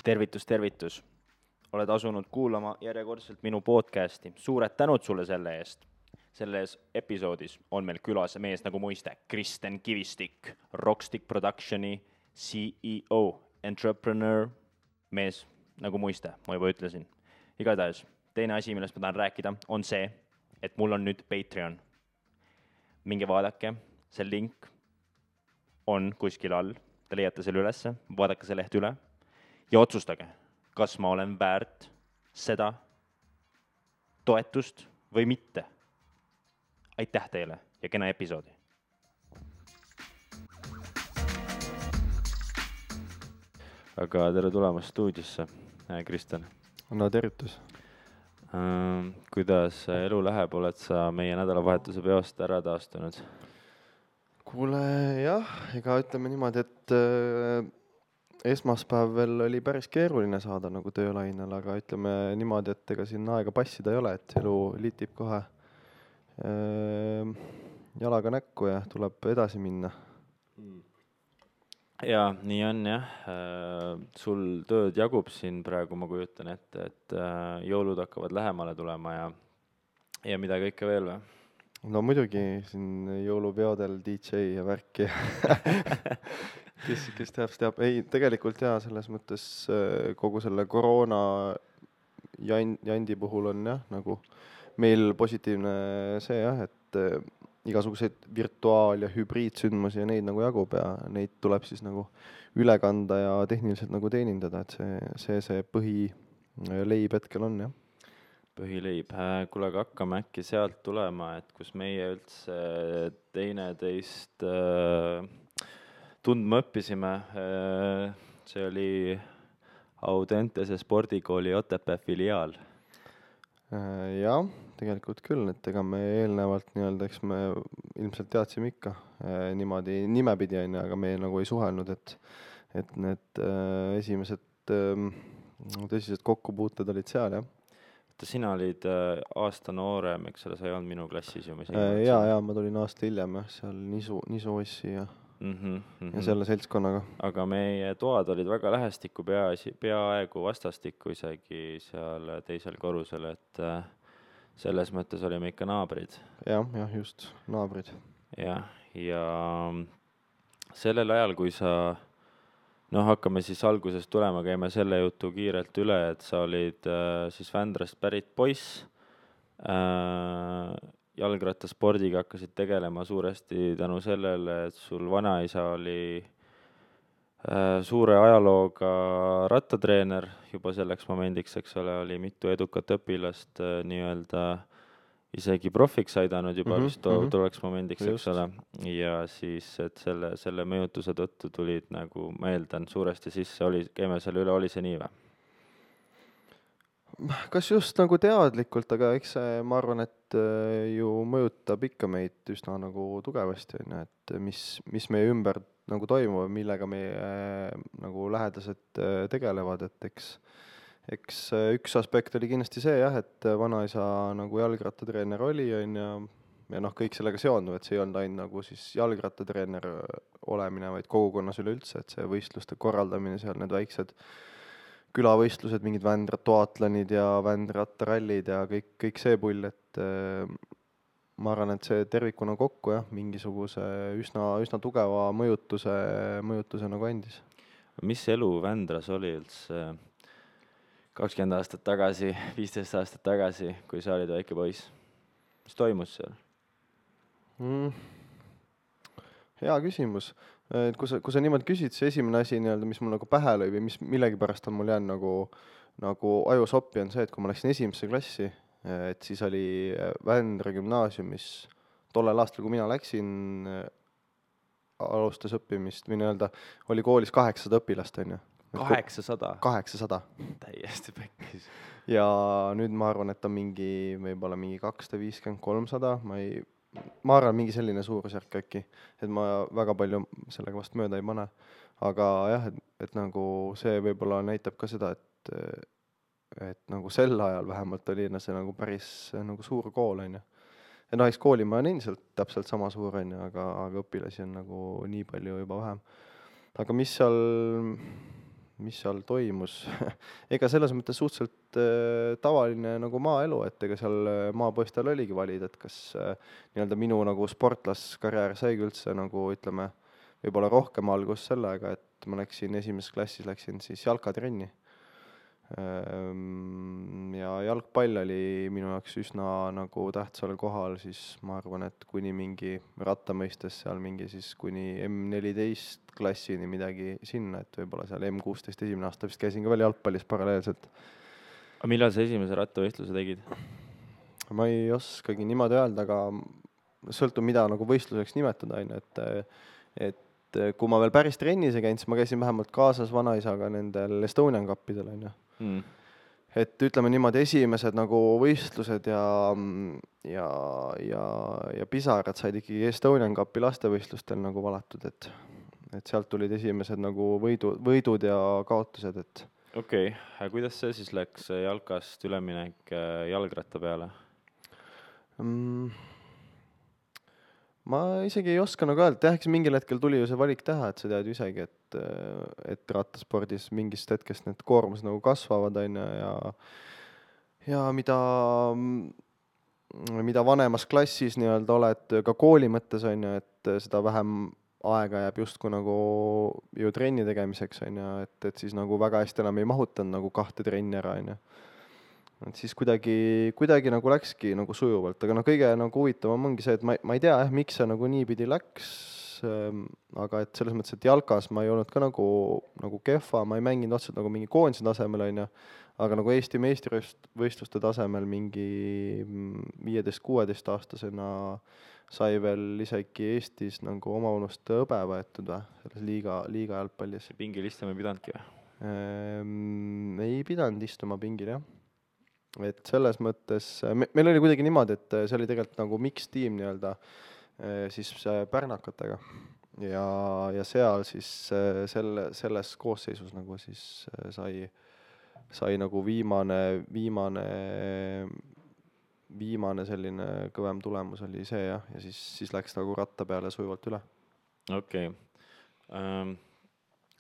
Tervitus. Oled asunud kuulama järjekordselt minu podcasti. Suured tänud sulle selle eest. Selles episoodis on meil külas mees nagu muiste, Kristen Kivistik, Rockstick Productioni CEO, entrepreneur, mees nagu muiste, ma juba ütlesin. Igatahes, teine asi, millest ma tahan rääkida, on see, et mul on nüüd Patreon. Minge vaadake, see link on kuskil all, te leiate selle ülesse, vaadake see leht üle ja otsustage, kas ma olen väärt seda toetust või mitte. Aitäh teile ja kena episoodi. Aga tere tulemast stuudiosse, Kristen. No tervitus. Kuidas elu läheb, oled sa meie nädalavahetuse peost ära taastunud? Kuule, jah, ega ütleme niimoodi, et esmaspäev veel oli päris keeruline saada nagu töölainel, aga ütleme niimoodi, et ega siin aega passida ei ole, et elu litib kohe jalaga näkku ja tuleb edasi minna. Jaa, nii on jah. Sul tööd jagub siin praegu, ma kujutan ette, et jõulud hakkavad lähemale tulema ja mida kõike veel või? No muidugi siin jõulupeodel DJ ja värki. kes teab. Ei, tegelikult jaa, selles mõttes kogu selle koroona jandi puhul on jah, nagu meil positiivne see jah, et igasuguseid virtuaal- ja hübriidsündmusi ja neid nagu jagub ja neid tuleb siis nagu üle kanda ja tehniliselt nagu teenindada, et see põhileib hetkel on jah. Põhileib. Kuule, aga hakkame äkki sealt tulema, et kus meie üldse teineteist tundma õppisime. See oli Audentese spordikooli Otepää filiaal. Jah, tegelikult küll, et ega me eelnevalt nii-öelda, eks me ilmselt teadsime ikka niimoodi nimepidi on, aga me nagu ei suhelnud, et need esimesed tõsised kokkupuuted olid seal, jah. Sina olid aasta noorem, eks ole, sa ei olnud minu klassis ju. Jaa, ma tulin aasta hiljem, jah, seal Nisu Ossi ja selle seltskonnaga. Aga meie toad olid väga lähestikku, peaaegu vastastikku isegi seal teisel korrusel, et selles mõttes olime ikka naabrid. Jah, just, naabrid. Ja sellel ajal, kui sa, hakkame siis algusest tulema, käime selle jutu kiirelt üle, et sa olid siis Vändrast pärit poiss, jalgrattaspordiga hakkasid tegelema suuresti tänu sellele, et sul vanaisa oli suure ajalooga rattatreener juba selleks momendiks, eks ole, oli mitu edukat õpilast nii-öelda isegi profiks aidanud juba vist tuleks momendiks, eks ole. Ja siis, et selle mõjutuse tõttu tulid nagu, ma eeldan, suuresti sisse, käime selle üle, oli see nii või? Kas just nagu teadlikult, aga eks see, ma arvan, et ju mõjutab ikka meid üsna nagu tugevasti, et mis meie ümber nagu toimub, millega meie nagu lähedased tegelevad, et eks üks aspekt oli kindlasti see jah, et vanaisa nagu jalgrattatreener oli ja kõik sellega seonduv, et see ei olnud ainult nagu siis jalgrattatreener olemine, vaid kogukonnas üleüldse, et see võistluste korraldamine seal, need väiksed külavõistlused, mingid Vändra-toatlanid ja Vändra-rattarallid ja kõik see pull, et ma arvan, et see tervikuna kokku jah, mingisuguse üsna tugeva mõjutuse nagu andis. Mis elu Vändras oli üldse 20 aastat tagasi, 15 aastat tagasi, kui sa olid väike poiss? Mis toimus seal? Hea küsimus. Kui sa niimoodi küsid, see esimene asi, mis mul nagu pähe lõi või mis millegipärast on mul jäänud nagu ajusoppi on see, et kui ma läksin esimesse klassi, et siis oli Vändra gümnaasiumis tollel aastal, kui mina läksin, alustas õppimist või oli koolis 800 õpilast, on ju. 800? 800. Täiesti pekkis. Ja nüüd ma arvan, et on võib-olla mingi 250-300, ma arvan, mingi selline suurusjärk äkki, et ma väga palju sellega vast mööda ei pane. Aga jah, et nagu see võib-olla näitab ka seda, et nagu sel ajal vähemalt oli see nagu päris nagu suur kool, on ju. Ja eks koolimaja on endiselt täpselt sama suur, on ju, aga õpilasi on nagu nii palju juba vähem. Aga mis seal mis seal toimus ega selles mõttes suhteliselt tavaline nagu maaelu, et ega seal maapoistel oligi valida, et kas nii-öelda minu nagu sportlaskarjäär saigi üldse nagu ütleme, võib-olla rohkem algust sellega, et ma läksin esimeses klassis siis jalkatrenni. Ja jalgpall oli minu jaoks üsna nagu tähtsal kohal, siis ma arvan, et kuni mingi rattamõistes seal mingi siis kuni M14 klassini midagi sinna, et võib-olla seal M16 esimene aasta vist käisin ka veel jalgpallis paralleelselt. Aga millal sa esimese rattavõistluse tegid? Ma ei oskagi niimoodi öelda, aga sõltub mida nagu võistluseks nimetada, et kui ma veel päris trennis ei käinud, siis ma käisin vähemalt kaasas vanaisaga nendel Estonian Cupidel, et ütleme niimoodi, esimesed nagu võistlused ja pisarad said ikkagi Estonian Cupi lastevõistlustel nagu valatud, et sealt tulid esimesed nagu võidud ja kaotused, et Okei, kuidas see siis läks jalkast üleminek jalgratta peale? Ma isegi ei oska nagu öelda, eks mingil hetkel tuli ju see valik teha, et sa tead ju isegi, et rattaspordis mingist hetkest need koormused nagu kasvavad, ja mida vanemas klassis nii-öelda oled ka kooli mõttes, et seda vähem aega jääb justkui nagu ju trenni tegemiseks, et siis nagu väga hästi enam ei mahutanud nagu 2 trenni ära, et siis kuidagi nagu läkski nagu sujuvalt, aga kõige nagu huvitavam ongi see, et ma ei tea miks see nagu niipidi läks, aga et selles mõttes, et jalkas ma ei olnud ka nagu kehva, ma ei mänginud otseselt nagu mingi koondise tasemel, aga nagu Eesti meistrivõistluste tasemel mingi 15-16 aastasena sai veel isegi Eestis nagu omaunust hõbe võetud selles liiga jalgpallis. Pingil istuma ei pidanudki või? Ei pidanud istuma pingil, jah. Et selles mõttes, meil oli kuidagi niimoodi, et see oli tegelikult nagu mix-tiim nii-öelda siis pärnakatega ja seal siis selles koosseisus nagu siis sai nagu viimane selline kõvem tulemus oli see, jah, ja siis läks nagu ratta peale sujuvalt üle. Okei.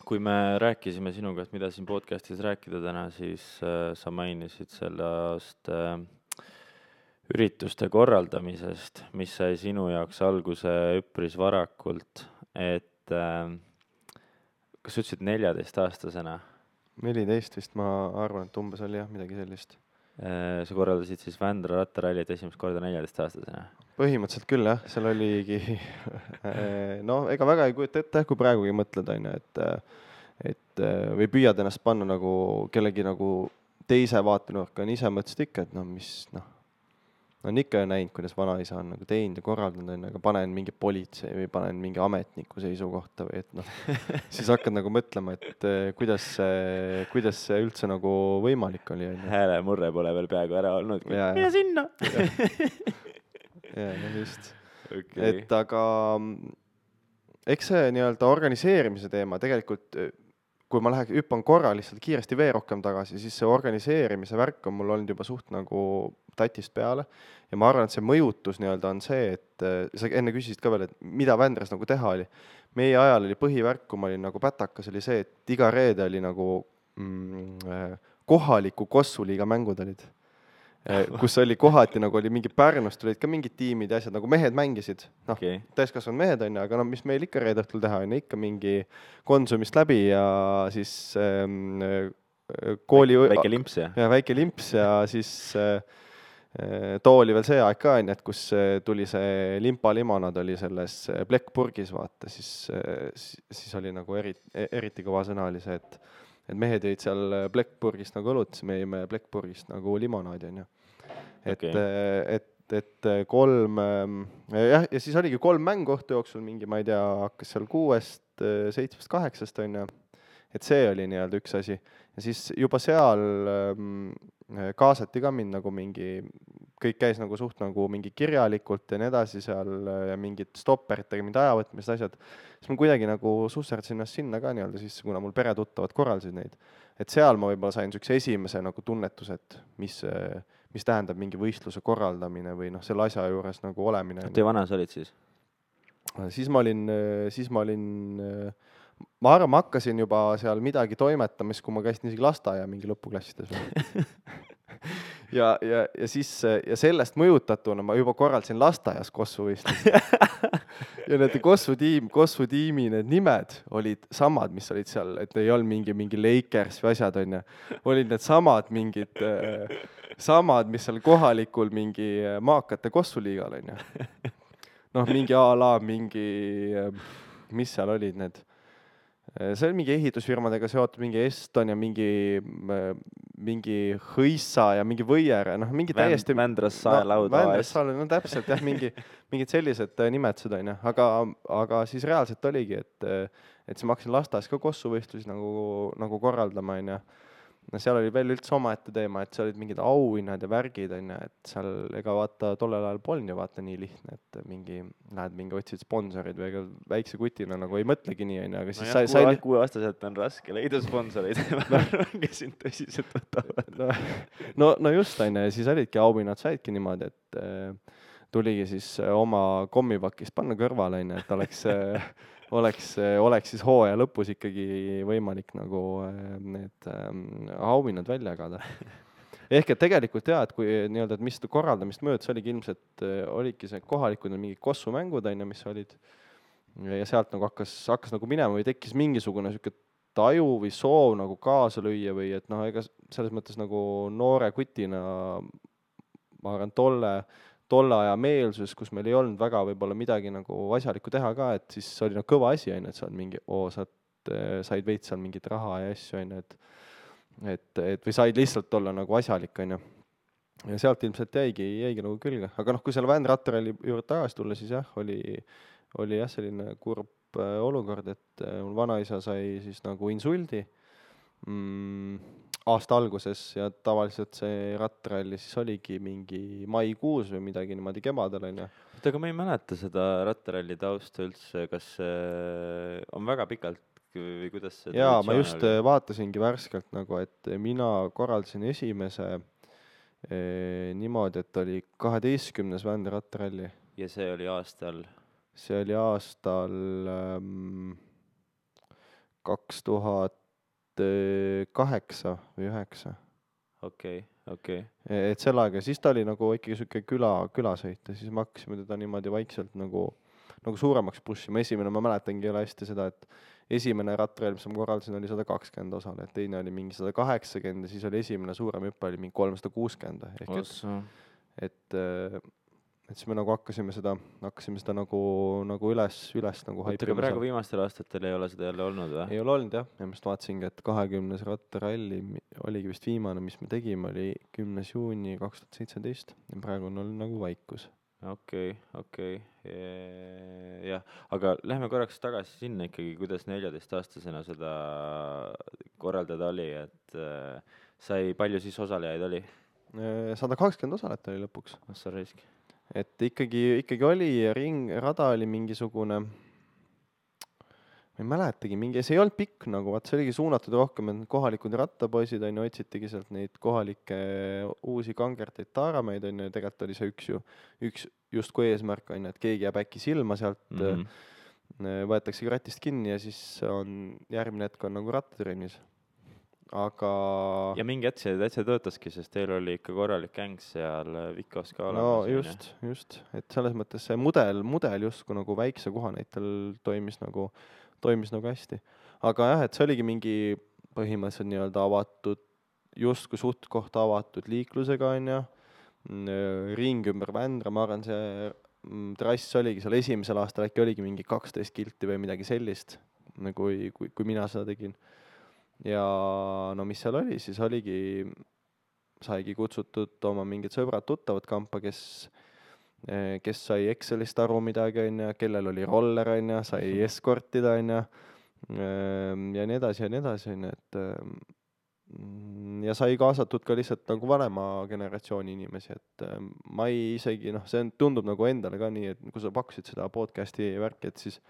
Kui me rääkisime sinuga, et mida siin podcastis rääkida täna, siis sa mainisid sellest ürituste korraldamisest, mis sai sinu jaoks alguse üpris varakult, et kas sa ütlesid 14-aastasena? 14 vist, ma arvan, et umbes oli jah, midagi sellist. Sa korraldasid siis Vändra rattarallit esimest korda 14-aastasena? Põhimõtteliselt küll, jah, seal oligi ega väga ei kujuta ette, kui praegugi mõtled, et või püüad ennast panna nagu kellegi nagu teise vaatenurka, ise mõtlesid ikka, et on ikka näinud, kuidas vanaisa on nagu teinud ja korraldanud, aga panen mingi politsei või panen mingi ametniku seisukohta või et siis hakkad nagu mõtlema, et kuidas see üldse nagu võimalik oli. Häälemurre pole veel peaaegu ära olnud. Mine sinna! Ja, just. Okay. Et aga eks see nii-öelda organiseerimise teema tegelikult, kui ma hüppan korra lihtsalt kiiresti veel rohkem tagasi, siis see organiseerimise värk on mul olnud juba suht nagu tatist peale ja ma arvan, et see mõjutus nii-öelda on see, et sa enne küsisid ka veel, et mida Vändras nagu teha oli. Meie ajal oli põhivärk, kui ma olin nagu pätakas, oli see, et iga reede oli nagu kohaliku Kossuliiga mängud olid. Kus oli kohati nagu oli mingi Pärnust, olid ka mingid tiimid ja asjad, nagu mehed mängisid, täiskasvanud mehed on, aga mis meil ikka reede õhtul teha on, ikka mingi Konsumist läbi ja siis kooli väike limps ja väike limps ja siis too oli veel see aeg ka, et kus tuli see limpalimonad oli selles plekkpurgis, vaata, siis oli nagu eriti kõva sõna oli see, et mehed jõid seal plekkpurgist nagu õlut, siis me jõime plekkpurgist nagu limonaadi, on ju. Et 3, jah, ja siis oligi 3 mängu õhtu jooksul mingi, ma ei tea, hakkas seal 6, 7, 8, on ju. Et see oli nii-öelda üks asi. Ja siis juba seal kaasati ka mind nagu mingi, kõik käis nagu suht nagu mingi kirjalikult ja nii edasi seal ja mingid stopperitega, mind ajavõtmised asjad. Siis ma kuidagi nagu susserdasin ennast sinna ka nii-öelda sisse, kuna mul peretuttavad korraldasid neid. Et seal ma võib-olla sain sükse esimese nagu tunnetus, et mis tähendab mingi võistluse korraldamine või selle asja juures nagu olemine. Kui vana sa olid siis? Siis ma olin, ma arvan, ma hakkasin juba seal midagi toimetamas, kui ma käisin isegi lasteaia mingi lõpuklassides või. ja siis ja sellest mõjutatuna ma juba korraldasin lasteaias kossuvõistlusi. Ja need Kossu tiimi need nimed olid samad, mis olid seal, et ei olnud mingi Lakers või asjad, on ju. Olid need samad, mis seal kohalikul mingi maakate Kossuliigal, on ju. Noh, mingi a la mingi, mis seal olid need. See oli mingi ehitusfirmadega seotud, mingi Eston ja mingi Hõissa ja mingi Võier, noh, mingi täiesti... Vändras Saelauda. Vändras Saelauda, no täpselt, jah, mingid sellised nimetused, on ju. Aga siis reaalselt oligi, et siis ma hakkasin lasteaias ka kossuvõistlusi nagu korraldama, on ju. No seal oli veel üldse omaette teema, et seal olid mingid auhinnad ja värgid, on ju, et seal ega vaata tollel ajal polnud ju vaata nii lihtne, et lähed mingi otsid sponsorid või ega väikse kutina nagu ei mõtlegi nii, on ju, aga siis no kuueaastaselt on raske leida sponsoreid, kes sind tõsiselt võtavad. No just, on ju, ja siis olidki auhinnad, saidki niimoodi, et tuligi siis oma kommipakist panna kõrvale, on ju, et oleks siis hooaja lõpus ikkagi võimalik nagu need auhinnad välja jagada. Ehk et tegelikult jah, et kui nii-öelda, et mis korraldamist möödas oligi ilmselt, olidki see kohalikud mingid kossumängud, on ju, mis olid, ja sealt nagu hakkas nagu minema või tekkis mingisugune siuke taju või soov nagu kaasa lüüa või et noh, ega selles mõttes nagu noore kutina, ma arvan, tolle aja meelsus, kus meil ei olnud väga võib-olla midagi nagu asjalikku teha ka, et siis oli nagu kõva asi, on ju, et sa oled mingi, said veits seal mingit raha ja asju, on ju, et või said lihtsalt olla nagu asjalik, on ju. Ja sealt ilmselt jäigi nagu külge. Aga noh, kui selle Vändrattaralli juurde tagasi tulla, siis jah, oli jah selline kurb olukord, et mul vanaisa sai siis nagu insuldi aasta alguses ja tavaliselt see rattaralli siis oligi mingi maikuus või midagi niimoodi kevadel, on ju. Aga ma ei mäleta seda rattaralli tausta üldse, kas on väga pikalt või kuidas see jaa, ma just vaatasingi värskelt nagu, et mina korraldasin esimese niimoodi, et oli 12. Vändrattaralli. Ja see oli aastal? See oli aastal 2008 või 9. Okei. Et sel aega, siis ta oli nagu ikkagi siuke külasõit ja siis me hakkasime teda niimoodi vaikselt nagu suuremaks pushima. Esimene, ma mäletangi jälle hästi seda, et esimene rattarall, mis ma korraldasin, oli 120 osale, et teine oli mingi 180 ja siis oli esimene suurem hüppe, oli mingi 360. Et siis me nagu hakkasime seda nagu üles nagu haipima. Aga praegu viimastel aastatel ei ole seda jälle olnud või? Ei ole olnud jah, ja ma just vaatasingi, et 20. rattaralli oligi vist viimane, mis me tegime, oli 10. juuni 2017 ja praegu on olnud nagu vaikus. Okei. Jah, aga lähme korraks tagasi sinna ikkagi, kuidas 14-aastasena seda korraldada oli, et palju siis osalejaid oli? 120 osalet oli lõpuks. Sa reisk. Et ikkagi oli rada oli mingisugune, ma ei mäletagi, see ei olnud pikk nagu, see oligi suunatud rohkem, et kohalikud rattapoisid, on ju, otsitigi sealt neid kohalikke uusi kangerteid taarameid, on ju, ja tegelikult oli see üks justkui eesmärk, on ju, et keegi jääb äkki silma sealt, võetaksegi ratist kinni ja siis on järgmine hetk on nagu rattatrennis. Aga... Ja mingi hetk see täitsa töötaski, sest teil oli ikka korralik gäng seal Vikos ka olemas. No just, et selles mõttes see mudel justkui nagu väikse kohanäitel toimis nagu hästi. Aga jah, et see oligi mingi põhimõtteliselt nii-öelda avatud, justkui suht kohta avatud liiklusega, on ju, ring ümber Vändra, ma arvan, see trass oligi seal esimesel aastal, äkki oligi mingi 12 kilti või midagi sellist, kui mina seda tegin. Ja no mis seal oli, siis saigi kutsutud oma mingid sõbrad tuttavad kampa, kes sai Excelist aru midagi, on ju, kellel oli roller, on ju, sai eskortida, on ju, ja nii edasi, on ju, et ja sai kaasatud ka lihtsalt nagu vanema generatsiooni inimesi, et ma ei isegi, see tundub nagu endale ka nii, et kui sa pakkusid seda podcasti värki, et siis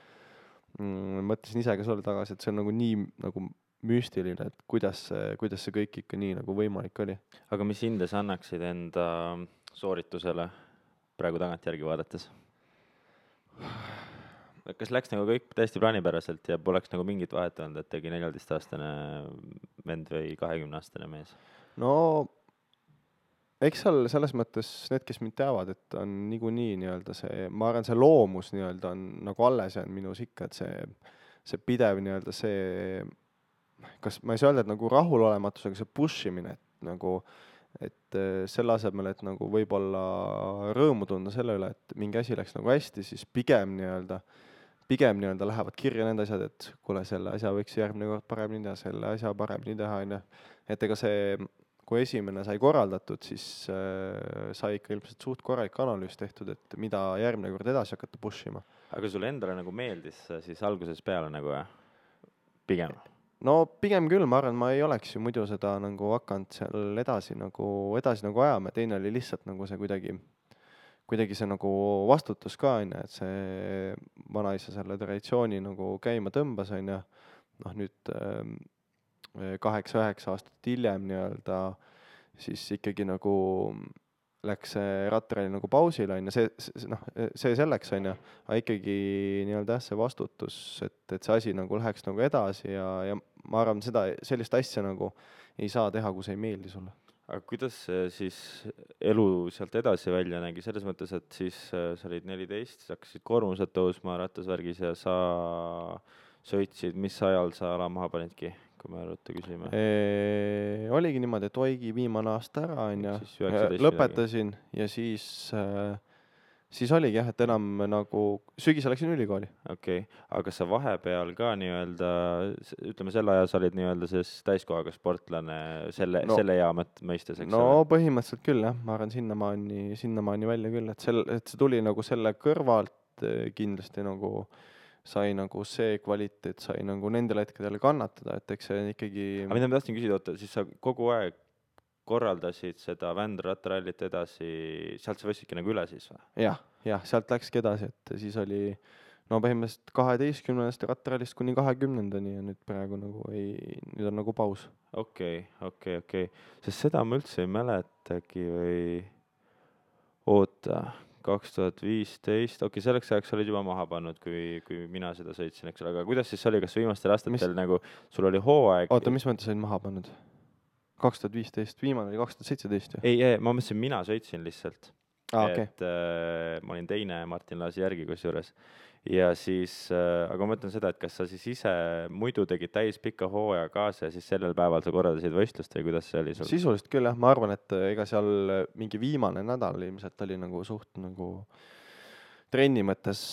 mõtlesin ise ka sulle tagasi, et see on nagu nii nagu müstiline, et kuidas see kõik ikka nii nagu võimalik oli. Aga mis hinde sa annaksid enda sooritusele praegu tagantjärgi vaadates? kas läks nagu kõik täiesti plaanipäraselt ja poleks nagu mingit vahet olnud, et tegi 14-aastane vend või 20-aastane mees? no eks seal selles mõttes need, kes mind teavad, et on niikuinii nii-öelda see, ma arvan, see loomus nii-öelda on nagu alles jäänud minus ikka, et see pidev nii-öelda see, kas ma ei saa öelda, et nagu rahulolematus, aga see push imine, et nagu, et selle asemel, et nagu võib-olla rõõmu tunda selle üle, et mingi asi läks nagu hästi, siis pigem nii-öelda lähevad kirja need asjad, et kuule, selle asja võiks järgmine kord paremini teha, selle asja paremini teha, on ju. Et ega see, kui esimene sai korraldatud, siis sai ikka ilmselt suht korralik analüüs tehtud, et mida järgmine kord edasi hakata push ima. Aga sulle endale nagu meeldis siis alguses peale nagu pigem? No pigem küll, ma arvan, ma ei oleks ju muidu seda nagu hakanud seal edasi nagu ajama, teine oli lihtsalt nagu see kuidagi see nagu vastutus ka, on ju, et see vanaisa selle traditsiooni nagu käima tõmbas, on ju, noh nüüd 8-9 aastat hiljem nii-öelda, siis ikkagi nagu läks see rattaralli nagu pausile, on ju, see selleks, on ju, aga ikkagi nii-öelda jah, see vastutus, et see asi nagu läheks nagu edasi ja ma arvan, sellist asja nagu ei saa teha, kui see ei meeldi sulle. Aga kuidas siis elu sealt edasi välja nägi, selles mõttes, et siis sa olid 14, sa hakkasid koormused tõusma rattasvärgis ja sa sõitsid, mis ajal sa ala maha panidki, kui me ruttu küsime? Oligi niimoodi, et oigi viimane aasta ära, on ju, lõpetasin ja siis oligi jah, et enam nagu sügisel läksin ülikooli. Okei, aga sa vahepeal ka nii-öelda, ütleme selle aja sa olid nii-öelda siis täiskohaga sportlane selle ea mõistes, eks ole? No põhimõtteliselt küll jah, ma arvan sinnamaani välja küll, et see tuli nagu selle kõrvalt kindlasti nagu sai nagu see kvaliteet sai nagu nendel hetkedel kannatada, et eks see ikkagi... Aga mida ma tahtsin küsida, oota, siis sa kogu aeg korraldasid seda Vändra-rattarallit edasi, sealt sa võistsidki nagu üle siis või? Jah, sealt läkski edasi, et siis oli põhimõtteliselt 12. rattarallist kuni 20-ndani ja nüüd praegu nagu nüüd on nagu paus. Okei. Sest seda ma üldse ei mäletagi või oota... 2015, selleks ajaks olid juba maha pannud, kui mina seda sõitsin, eks ole, aga kuidas siis oli, kas viimastel aastatel nagu sul oli hooaeg? Oota, mis mõttes olid maha pannud? 2015, viimane oli 2017 ju? Ei, ma mõtlesin, mina sõitsin lihtsalt. Okay. Et ma olin teine Martin Laasi järgi kusjuures. Ja siis, aga ma mõtlen seda, et kas sa siis ise muidu tegid täispika hooaja kaasa ja siis sellel päeval sa korraldasid võistlust või kuidas see oli sul? Sisuliselt küll jah, ma arvan, et ega seal mingi viimane nädal ilmselt oli nagu suht nagu trenni mõttes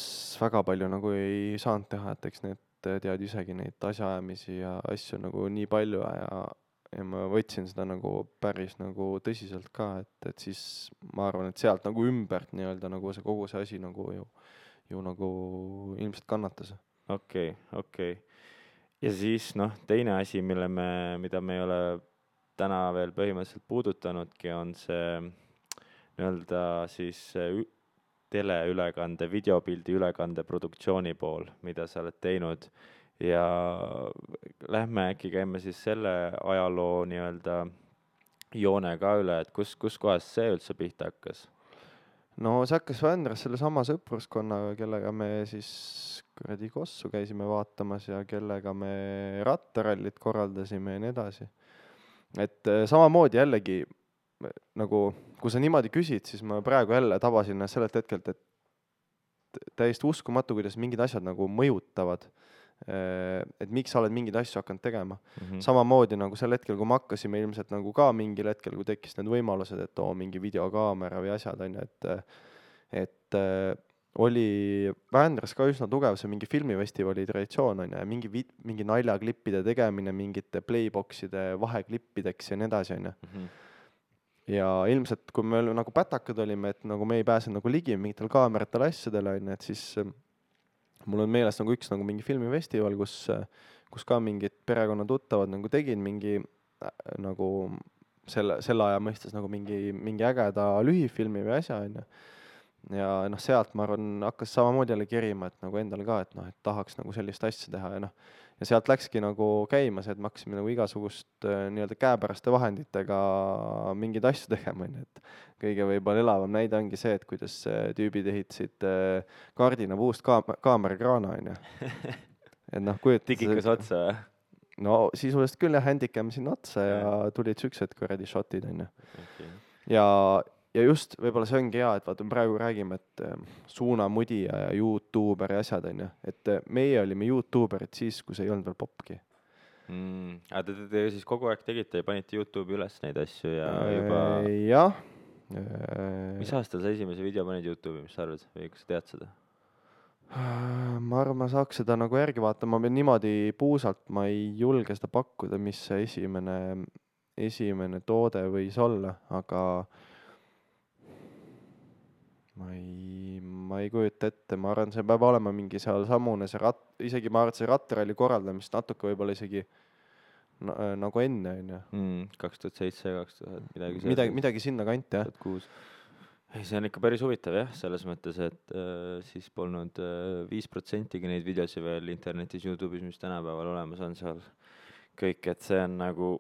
väga palju nagu ei saanud teha, et eks need tead isegi neid asjaajamisi ja asju nagu nii palju ja ma võtsin seda nagu päris nagu tõsiselt ka, et siis ma arvan, et sealt nagu ümbert nii-öelda nagu see kogu see asi nagu ju nagu ilmselt kannatas. Okei. Ja siis teine asi, mida me ei ole täna veel põhimõtteliselt puudutanudki, on see nii-öelda siis teleülekande, videopildi ülekande produktsiooni pool, mida sa oled teinud ja lähme äkki käime siis selle ajaloo nii-öelda joone ka üle, et kus kohas see üldse pihta hakkas? No see hakkas Vändras selle sama sõpruskonnaga, kellega me siis kuradi Kossu käisime vaatamas ja kellega me rattarallit korraldasime ja nii edasi. Et samamoodi jällegi, nagu kui sa niimoodi küsid, siis ma praegu jälle tabasin sellelt hetkelt, et täiesti uskumatu, kuidas mingid asjad nagu mõjutavad. Et miks sa oled mingeid asju hakanud tegema. Samamoodi nagu sel hetkel, kui me hakkasime ilmselt nagu ka mingil hetkel, kui tekkis need võimalused, et mingi videokaamera või asjad on ju, et oli Vändras ka üsna tugev see mingi filmifestivali traditsioon on ju, ja mingi naljaklippide tegemine mingite playboxide vaheklippideks ja nii edasi on ju. Ja ilmselt, kui me nagu pätakad olime, et nagu me ei pääse nagu ligi mingitel kaameratel asjadele on ju, et siis mul on meeles nagu üks nagu mingi filmifestival, kus ka mingid perekonna tuttavad nagu tegid mingi nagu selle aja mõistes nagu mingi ägeda lühifilmi või asja on ju. Ja sealt ma arvan hakkas samamoodi jälle kerima, et nagu endal ka, et et tahaks nagu sellist asja teha ja ja sealt läkski nagu käima see, et me hakkasime nagu igasugust nii-öelda käepäraste vahenditega mingeid asju tegema, onju, et kõige võib-olla elavam näide ongi see, et kuidas tüübid ehitasid kardina puust kaamerakraana, onju. Et noh, Digikas otsa või? no sisuliselt küll jah, handicam sinna otsa ja tulid siuksed kuradi shotid, onju. Okay. Ja just võib-olla see ongi hea, et vaata, me praegu räägime, et suunamudija ja YouTuber ja asjad, onju. Et meie olime YouTuberid siis, kui see ei olnud veel popki. Aga te siis kogu aeg tegite ja panite YouTube'i üles neid asju ja juba... Jah. Mis aastal sa esimese video panid YouTube'i, mis sa arvad? Või kas sa tead seda? Ma arvan, ma saaks seda nagu järgi vaatama, ma niimoodi puusalt ma ei julge seda pakkuda, mis see esimene toode võis olla, aga ma ei kujuta ette, ma arvan, see peab olema mingi seal samune see isegi ma arvan, et see rattaralli korraldamist natuke võib-olla isegi nagu enne, onju. 2007, 2000, midagi sinna kanti, jah. 2006. Ei, see on ikka päris huvitav jah, selles mõttes, et siis polnud 5%-gi neid videosi veel internetis, YouTube'is, mis tänapäeval olemas on seal kõik, et see on nagu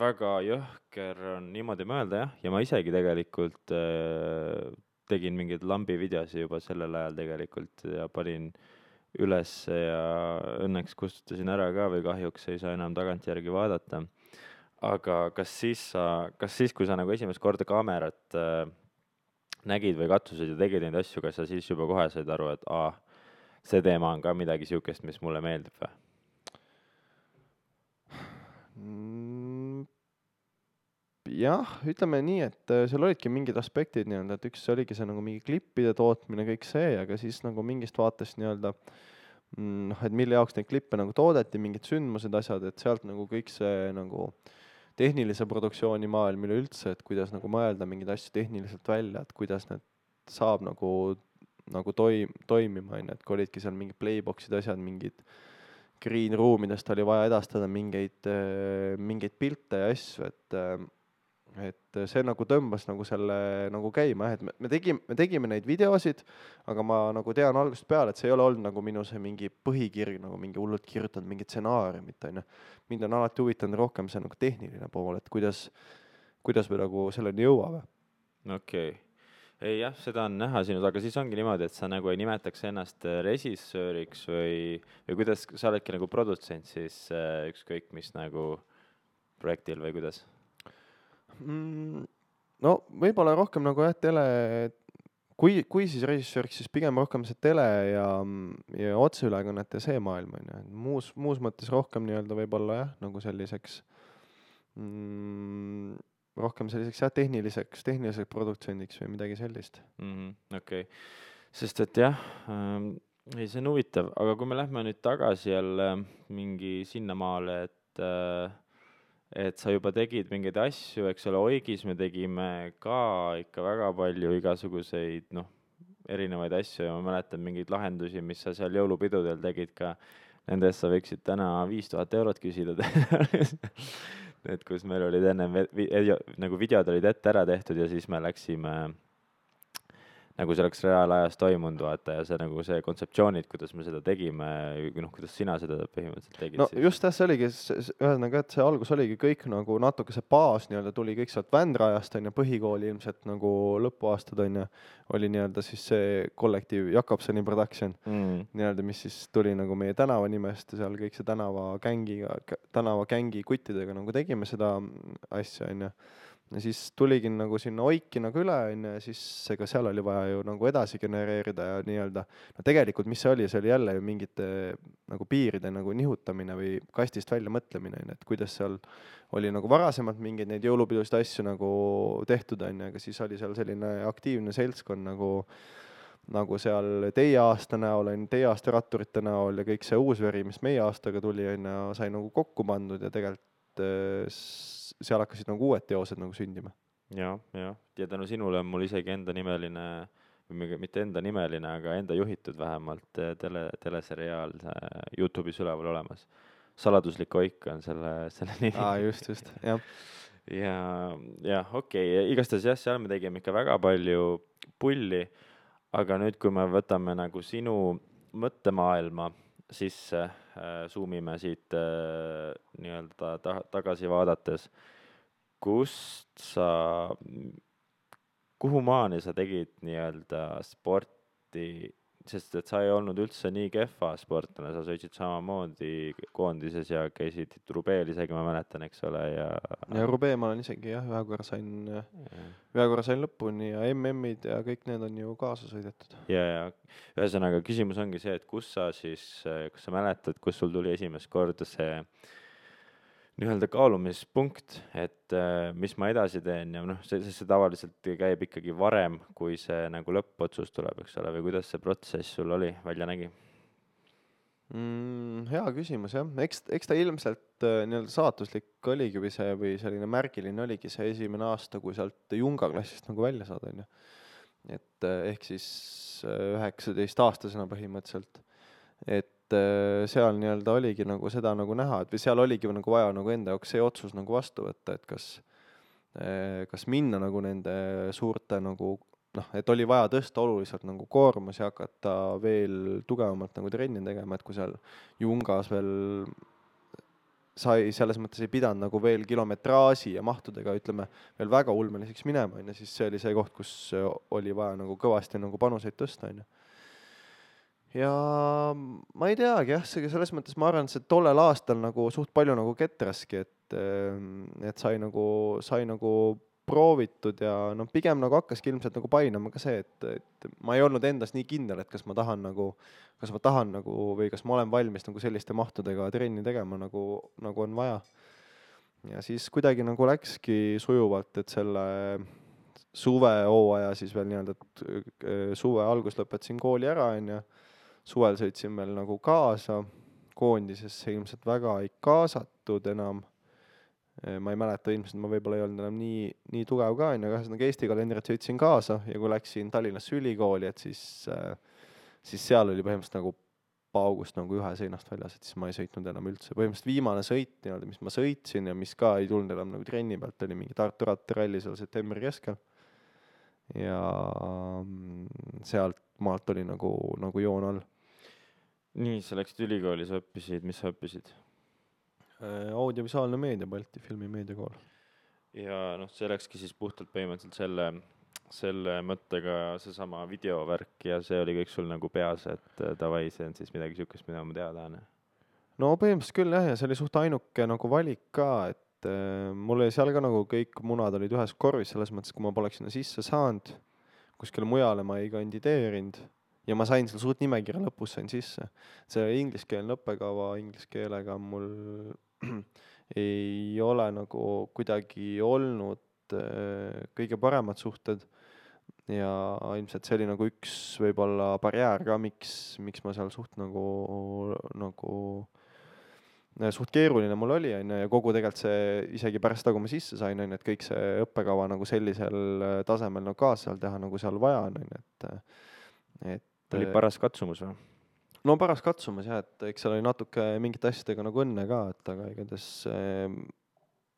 väga jõhker on niimoodi mõelda jah, ja ma isegi tegelikult tegin mingeid lambi videosi juba sellel ajal tegelikult ja panin üles ja õnneks kustutasin ära ka või kahjuks ei saa enam tagantjärgi vaadata. Aga kas siis, kui sa nagu esimest korda kaamerat nägid või katsusid ja tegid neid asju, kas sa siis juba kohe said aru, et see teema on ka midagi siukest, mis mulle meeldib või? Jah, ütleme nii, et seal olidki mingid aspektid nii-öelda, et üks oligi see nagu mingi klippide tootmine, kõik see, aga siis nagu mingist vaatest nii-öelda, et mille jaoks neid klippe nagu toodeti, mingid sündmused, asjad, et sealt nagu kõik see nagu tehnilise produktsiooni maailm üleüldse, et kuidas nagu mõelda mingeid asju tehniliselt välja, et kuidas need saab nagu toimima, et kui olidki seal mingid playboxid, asjad, mingid green roomidest oli vaja edastada mingeid pilte ja asju, et see nagu tõmbas nagu selle nagu käima, et me tegime neid videosid, aga ma nagu tean algusest peale, et see ei ole olnud nagu minu see mingi põhikirg, nagu mingi hullult kirjutanud mingi stsenaariumit, onju. Mind on alati huvitanud rohkem see nagu tehniline pool, et kuidas me nagu selleni jõuame. Okei. Ei jah, seda on näha sinus, aga siis ongi niimoodi, et sa nagu ei nimetaks ennast režissööriks või kuidas sa oledki nagu produtsent siis ükskõik mis nagu projektil või kuidas? No võib-olla rohkem nagu jah, kui siis režissööriks, siis pigem rohkem see tele ja otseülekannete see maailm on ju. Muus mõttes rohkem nii-öelda võib-olla jah, nagu selliseks rohkem selliseks jah, tehniliseks produktsendiks või midagi sellist. Okei. Sest et jah, see on huvitav, aga kui me lähme nüüd tagasi jälle mingi sinnamaale, et sa juba tegid mingeid asju, eks ole, Oigis me tegime ka ikka väga palju igasuguseid, erinevaid asju ja ma mäletan mingeid lahendusi, mis sa seal jõulupidudel tegid ka, nendest sa võiksid täna 5000 eurot küsida. Et kus meil olid enne, nagu videod olid ette ära tehtud ja siis me läksime nagu see oleks reaalajas toimunud, vaata, ja see nagu see kontseptsioonid, kuidas me seda tegime, kuidas sina seda põhimõtteliselt tegid. No siis. Just see oligi, ühesõnaga, et see algus oligi kõik nagu natuke see baas nii-öelda tuli kõik sealt Vändrajast, on ju, põhikooli ilmselt nagu lõpuaastad, on ju, oli nii-öelda siis see kollektiiv Jakobsoni production, nii-öelda, mis siis tuli nagu meie tänava nimest ja seal kõik see tänava gängi kuttidega nagu tegime seda asja, on ju. Ja siis tuligi nagu sinna Oiki nagu üle, ja siis ega seal oli vaja ju nagu edasi genereerida ja nii-öelda, no tegelikult mis see oli jälle ju mingite nagu piiride nagu nihutamine või kastist välja mõtlemine, et kuidas seal oli nagu varasemalt mingeid neid jõulupidusid asju nagu tehtud, aga siis oli seal selline aktiivne seltskond nagu seal teie aasta näol, teie aasta ratturite näol ja kõik see uus veri, mis meie aastaga tuli, sai nagu kokku pandud ja tegelikult seal hakkasid nagu uued teosed nagu sündima. Ja tänu sinule on mul isegi enda nimeline, või mitte enda nimeline, aga enda juhitud vähemalt teleseriaal YouTube'is üleval olemas. Saladuslik Oik on selle nimi. Just, jah. Ja okei, igastahes jah, seal me tegime ikka väga palju pulli, aga nüüd, kui me võtame nagu sinu mõttemaailma sisse, zoomime siit nii-öelda tagasi vaadates, kuhu maani sa tegid nii-öelda sporti, sest et sa ei olnud üldse nii kehva sportlane, sa sõitsid samamoodi koondises ja käisid Rubeel isegi, ma mäletan, eks ole, ja Rubee ma olen isegi jah, ühe korra sain lõpuni ja MM-id ja kõik need on ju kaasa sõidetud. ja ühesõnaga küsimus ongi see, et kas sa mäletad, kus sul tuli esimest korda see nii-öelda kaalumispunkt, et mis ma edasi teen ja noh, see tavaliselt käib ikkagi varem, kui see nagu lõppotsus tuleb, eks ole, või kuidas see protsess sul oli, välja nägi? Hea küsimus jah, eks ta ilmselt nii-öelda saatuslik oligi või selline märgiline oligi see esimene aasta, kui sealt Junga klassist nagu välja saada, on ju. Et ehk siis 19-aastasena põhimõtteliselt, et seal nii-öelda oligi nagu seda nagu näha, et või seal oligi nagu vaja nagu enda jaoks see otsus nagu vastu võtta, et kas minna nagu nende suurte nagu noh, et oli vaja tõsta oluliselt nagu koormusi ja hakata veel tugevamalt nagu trenni tegema, et kui seal Jungas veel sai selles mõttes ei pidanud nagu veel kilometraaži ja mahtudega, ütleme, veel väga ulmeliseks minema, on ju, siis see oli see koht, kus oli vaja nagu kõvasti nagu panuseid tõsta, on ju. Ja ma ei teagi jah, selles mõttes ma arvan, et see tollel aastal nagu suht palju nagu ketraski, et sai nagu proovitud ja no pigem nagu hakkaski ilmselt nagu painama ka see, et ma ei olnud endas nii kindel, et kas ma tahan nagu või kas ma olen valmis nagu selliste mahtudega trenni tegema nagu on vaja. Ja siis kuidagi nagu läkski sujuvalt, et selle suvehooaja siis veel nii-öelda, et suve algus lõpetasin kooli ära, on ju. Suvel sõitsin veel nagu kaasa, koondisesse ilmselt väga ei kaasatud enam. Ma ei mäleta, ilmselt ma võib-olla ei olnud enam nii tugev ka, on ju, aga Eesti kalendrit sõitsin kaasa ja kui läksin Tallinnasse ülikooli, et siis seal oli põhimõtteliselt nagu paugust nagu ühe seinast väljas, et siis ma ei sõitnud enam üldse. Põhimõtteliselt viimane sõit, nii-öelda, mis ma sõitsin ja mis ka ei tulnud enam nagu trenni pealt, oli mingi Tartu rattaralli seal septembri keskel. Ja sealt maalt oli nagu joon all. Nii, sa läksid ülikooli, sa õppisid, mis sa õppisid? Audiovisuaalne meedia, Balti filmimeediakool. Ja noh, see läkski siis puhtalt põhimõtteliselt selle mõttega seesama videovärk ja see oli kõik sul nagu peas, et davai, see on siis midagi sihukest, mida ma teada tahan. No põhimõtteliselt küll jah, ja see oli suht ainuke nagu valik ka, et mul oli seal ka nagu kõik munad olid ühes korvis, selles mõttes, kui ma poleks sinna sisse saanud, kuskile mujale ma ei kandideerinud ja ma sain seal suht nimekirja lõpus sain sisse. See ingliskeelne õppekava inglise keelega mul ei ole nagu kuidagi olnud kõige paremad suhted ja ilmselt see oli nagu üks võib-olla barjäär ka, miks ma seal suht suht keeruline mul oli, on ju, ja kogu tegelikult see isegi pärast kui ma sisse sain, on ju, et kõik see õppekava nagu sellisel tasemel nagu kaasa seal teha, nagu seal vaja on, et oli paras katsumus või? No paras katsumus jah, et eks seal oli natuke mingite asjadega nagu õnne ka, et aga igatahes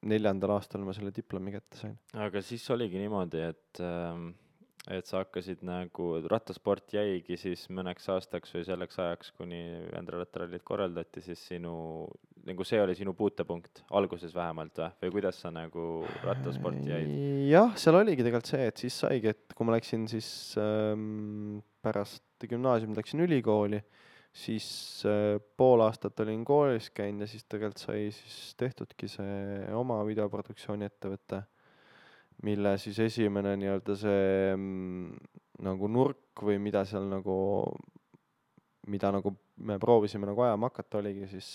4. aastal ma selle diplomi kätte sain. Aga siis oligi niimoodi, et sa hakkasid nagu, rattasport jäigi siis mõneks aastaks või selleks ajaks, kuni Vändra rattarallid korraldati, siis nagu see oli sinu puutepunkt, alguses vähemalt või kuidas sa nagu rattasporti jäid? Jah, seal oligi tegelikult see, et siis saigi, et kui ma läksin siis pärast gümnaasiumit läksin ülikooli, siis pool aastat olin koolis käinud ja siis tegelikult sai siis tehtudki see oma videoproduktsiooni ettevõte, mille siis esimene nii-öelda see nagu nurk või mida seal mida nagu me proovisime nagu ajama hakata, oligi siis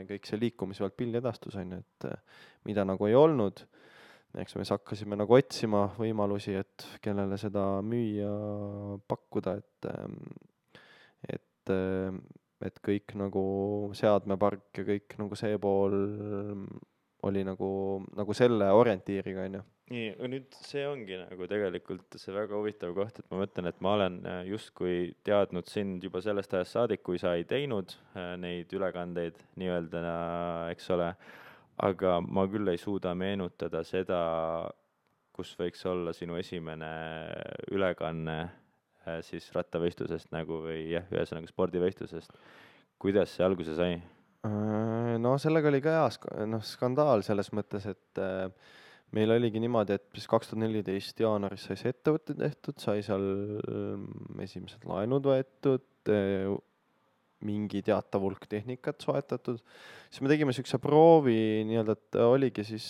kõik see liikumisvalt pildedastus, on ju, et mida nagu ei olnud. Eks me siis hakkasime nagu otsima võimalusi, et kellele seda müüa, pakkuda, et kõik nagu seadmepark ja kõik nagu see pool oli nagu selle orientiiriga, on ju. Nii, nüüd see ongi nagu tegelikult see väga huvitav koht, et ma mõtlen, et ma olen justkui teadnud sind juba sellest ajast saadik, kui sa ei teinud neid ülekandeid nii-öelda, eks ole, aga ma küll ei suuda meenutada seda, kus võiks olla sinu esimene ülekanne siis rattavõistlusest nagu või jah, ühesõnaga spordivõistlusest. kuidas see alguse sai? No sellega oli ka skandaal selles mõttes, et meil oligi niimoodi, et siis 2014 jaanuaris sai see ettevõte tehtud, sai seal esimesed laenud võetud, mingi teatav hulk tehnikat soetatud, siis me tegime niisuguse proovi nii-öelda, et oligi siis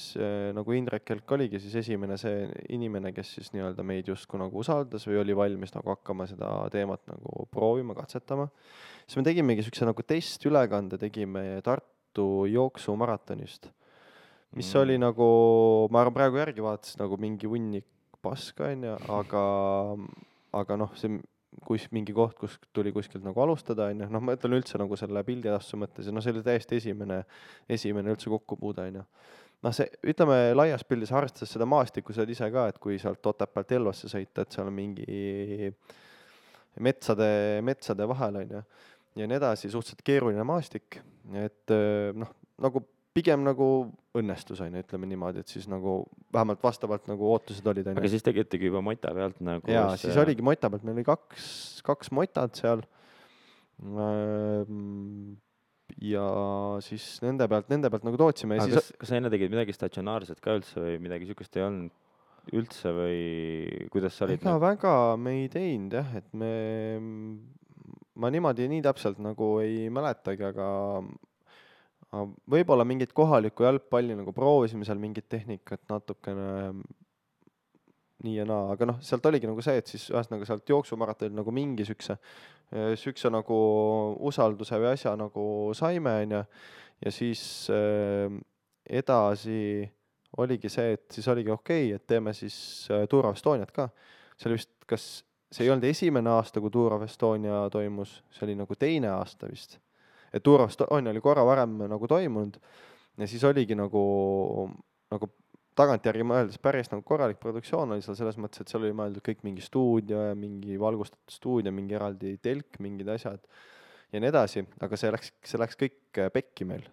nagu Indrek Kelk oligi siis esimene see inimene, kes siis nii-öelda meid justkui nagu usaldas või oli valmis nagu hakkama seda teemat nagu proovima, katsetama. Siis me tegimegi niisuguse nagu testülekande, tegime Tartu jooksumaratonist, mis oli nagu, ma arvan praegu järgi vaatasin nagu mingi hunnik paska, aga noh, see mingi koht, kus tuli kuskilt nagu alustada, noh ma ütlen üldse nagu selle pildiedastuse mõttes ja noh, see oli täiesti esimene üldse kokkupuude, noh see, ütleme laias pildis arvestades seda maastikku, sa oled ise ka, et kui sealt Otepäält Elvasse sõita, et seal on mingi metsade vahel, ja nii edasi, suhteliselt keeruline maastik, et noh, nagu pigem nagu õnnestus, ütleme niimoodi, et siis nagu vähemalt vastavalt nagu ootused olid. Aga siis tegitegi juba mota pealt nagu... Jaa, siis oligi mota pealt, meil oli kaks motad seal ja siis nende pealt nagu tootsime. Aga kas sa enne tegid midagi statsionaarset ka üldse või midagi sükust ei olnud üldse või kuidas sa olid? Ega väga me ei teinud jah, et ma niimoodi nii täpselt nagu ei mäletagi, aga võib-olla mingit kohalikku jalgpalli nagu proovisime seal mingit tehnikat natukene nii ja naa, aga noh, sealt oligi nagu see, et siis ühesõnaga sealt jooksumaratonil nagu mingi sükse nagu usalduse või asja nagu saime, ja siis edasi oligi see, et siis oligi okei, et teeme siis Tour of Estoniat ka. See oli vist, kas see ei olnud esimene aasta, kui Tour of Estonia toimus, see oli nagu teine aasta vist. Et Tour of Estonia oli korra varem nagu toimunud ja siis oligi nagu tagantjärgi mõeldes päris nagu korralik produktsioon oli seal selles mõttes, et seal oli mõeldud kõik mingi stuudio ja mingi valgustatud stuudio, mingi eraldi telk, mingid asjad ja nii edasi, aga see läks kõik pekki meil.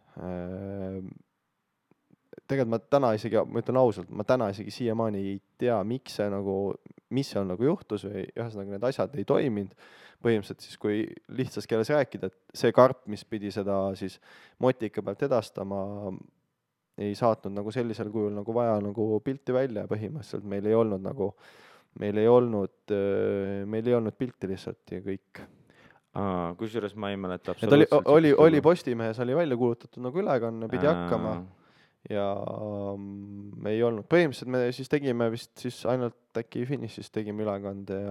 Tegelikult ma täna isegi, ma ütlen ausalt, ma täna isegi siiamaani ei tea, mis seal nagu juhtus või ühesõnaga need asjad ei toiminud. Põhimõtteliselt siis, kui lihtsas keeles rääkida, et see karp, mis pidi seda siis motika pealt edastama, ei saatnud nagu sellisel kujul nagu vaja nagu pilti välja ja põhimõtteliselt meil ei olnud pilti lihtsalt ja kõik. Kusjuures ma ei mäleta absoluutselt. Oli Postimehes oli välja kuulutatud nagu ülekanne, pidi hakkama ja me ei olnud. Põhimõtteliselt me siis tegime vist siis ainult äkki finišis tegime ülekande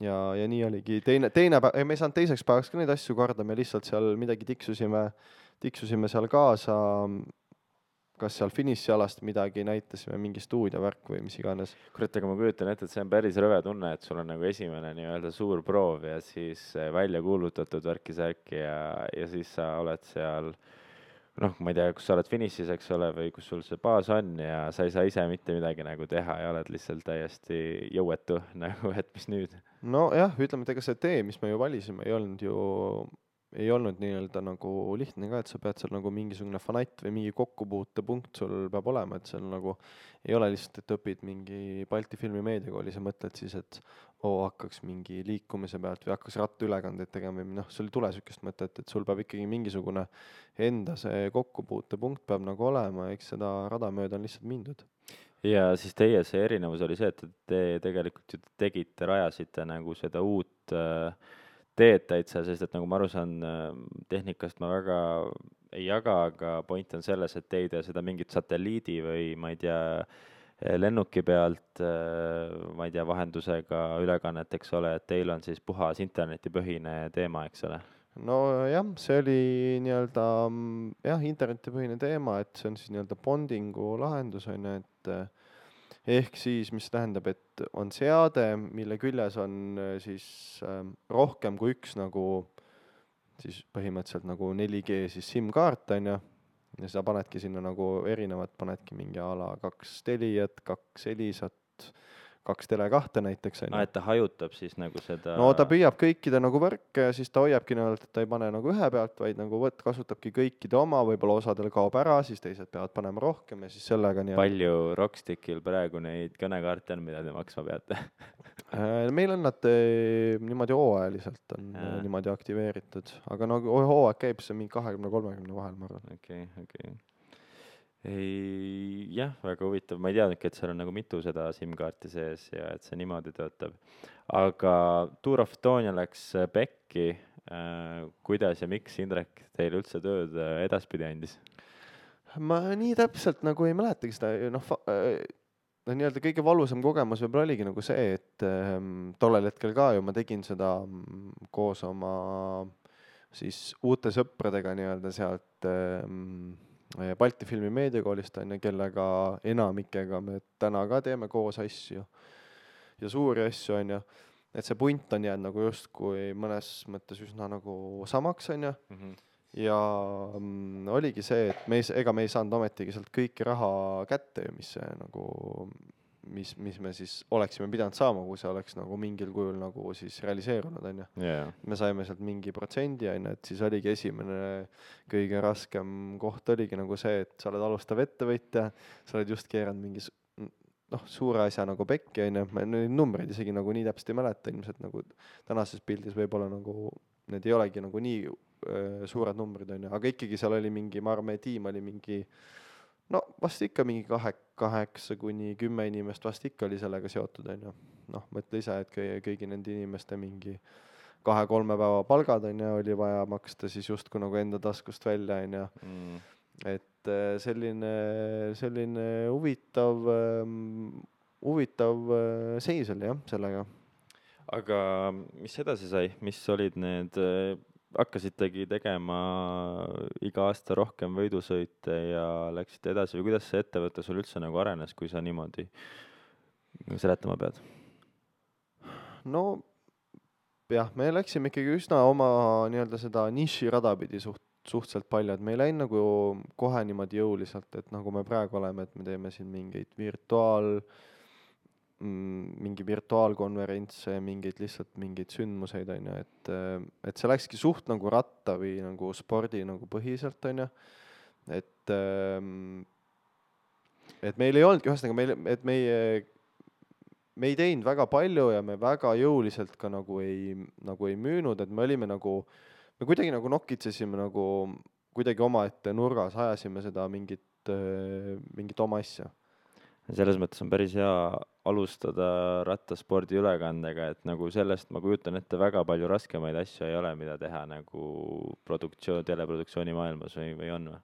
ja nii oligi. Teine päev, me ei saanud teiseks päevaks ka neid asju korda, me lihtsalt seal midagi tiksusime seal kaasa, kas seal finišialast midagi näitasime, mingi stuudiovärk või mis iganes. Kurat, aga ma kujutan ette, et see on päris rõve tunne, et sul on nagu esimene nii-öelda suur proov ja siis välja kuulutatud värki-särki ja siis sa oled seal, noh, ma ei tea, kus sa oled finišis, eks ole, või kus sul see baas on ja sa ei saa ise mitte midagi nagu teha ja oled lihtsalt täiesti jõuetu, nagu, et mis nüüd? No jah, ütleme, et ega see tee, mis me ju valisime, ei olnud nii-öelda nagu lihtne ka, et sa pead seal nagu mingisugune fanatt või mingi kokkupuutepunkt sul peab olema, et seal nagu ei ole lihtsalt, et õpid mingi Balti filmimeediakoolis ja mõtled siis, et hakkaks mingi liikumise pealt või hakkas rattaülekandeid tegema või noh, sul ei tule sükest mõtet, et sul peab ikkagi mingisugune enda see kokkupuutepunkt peab nagu olema, eks seda rada mööda on lihtsalt mindud. Ja siis teie see erinevus oli see, et te tegelikult ju rajasite nagu seda uut teed täitsa, sest et nagu ma aru saan, tehnikast ma väga ei jaga, aga point on selles, et te ei tee seda mingit satelliidi või ma ei tea, lennuki pealt, ma ei tea, vahendusega ülekannet, eks ole, et teil on siis puhas internetipõhine teema, eks ole? No jah, see oli nii-öelda internetipõhine teema, et see on siis nii-öelda bondingu lahendus, et ehk siis, mis tähendab, et on seade, mille küljes on siis rohkem kui üks nagu siis põhimõtteliselt nagu 4G siis SIM-kaart, ja sa panedki sinna nagu erinevad, panedki mingi ala 2 Teliat, 2 Elisat, 2 Tele2 näiteks on ju. Et ta hajutab siis nagu seda No ta püüab kõikide nagu võrke ja siis ta hoiabki niimoodi, et ta ei pane nagu ühe pealt, vaid nagu kasutabki kõikide oma, võib-olla osadel kaob ära, siis teised peavad panema rohkem ja siis sellega nii. Palju Rockstickil praegu neid kõnekaarte on, mida te maksma peate? Meil on nad niimoodi hooajaliselt on niimoodi aktiveeritud, aga nagu hooaeg käib see mingi 20-30 vahel, ma arvan. Okei. Jah, väga huvitav, ma ei teadnudki, et seal on nagu mitu seda SIM-kaarti sees ja et see niimoodi töötab. Aga Tour of Estonia läks pekki. Kuidas ja miks Indrek teil üldse tööd edaspidi andis? Ma nii täpselt nagu ei mäletagi seda, nii-öelda kõige valusam kogemus võib-olla oligi nagu see, et tollel hetkel ka ju ma tegin seda koos oma siis uute sõpradega nii-öelda sealt Balti Filmi Meediakoolist on ja kellega enamikega me täna ka teeme koos asju ja suuri asju on ja et see punt on jäänud nagu justkui mõnes mõttes üsna nagu samaks on ja ja oligi see, et ega me ei saanud ometigi sealt kõiki raha kätte, mis see nagu mis me siis oleksime pidanud saama, kui see oleks nagu mingil kujul nagu siis realiseerunud on ju. Me saime sealt mingi protsendi on ju, et siis oligi esimene kõige raskem koht oligi nagu see, et sa oled alustav ettevõtja, sa oled just keeranud mingi suure asja nagu pekki on ju, ma neid numbreid isegi nagu nii täpselt ei mäleta, ilmselt nagu tänases pildis võib-olla nagu need ei olegi nagu nii suured numbrid on ju, aga ikkagi seal oli mingi, ma arvan, meie tiim oli mingi vast ikka mingi 8-10 inimest vast ikka oli sellega seotud on ju. Mõtle ise, et kõigi nende inimeste mingi 2-3 päeva palgad on ju, oli vaja maksta siis justkui nagu enda taskust välja on ju. Et selline huvitav seis oli jah, sellega. Aga mis edasi sai, mis olid need hakkasitegi tegema iga aasta rohkem võidusõite ja läksite edasi või kuidas see ettevõte sul üldse nagu arenes, kui sa niimoodi seletama pead? No jah, me läksime ikkagi üsna oma nii-öelda seda niši rada pidi suhteliselt palju, et me ei läinud nagu kohe niimoodi jõuliselt, et nagu me praegu oleme, et me teeme siin mingeid mingi virtuaalkonverentse, mingeid sündmuseid on ju, et see läkski suht nagu ratta või nagu spordi nagu põhiselt on ju, et meil ei olnud, ühesõnaga me ei teinud väga palju ja me väga jõuliselt ka nagu ei müünud, et me olime nagu, me kuidagi nagu nokitsesime nagu kuidagi omaette nurgas, ajasime seda mingit oma asja. Selles mõttes on päris hea alustada rattaspordi ülekandega, et nagu sellest ma kujutan ette väga palju raskemaid asju ei ole, mida teha nagu teleproduktsiooni maailmas või on või?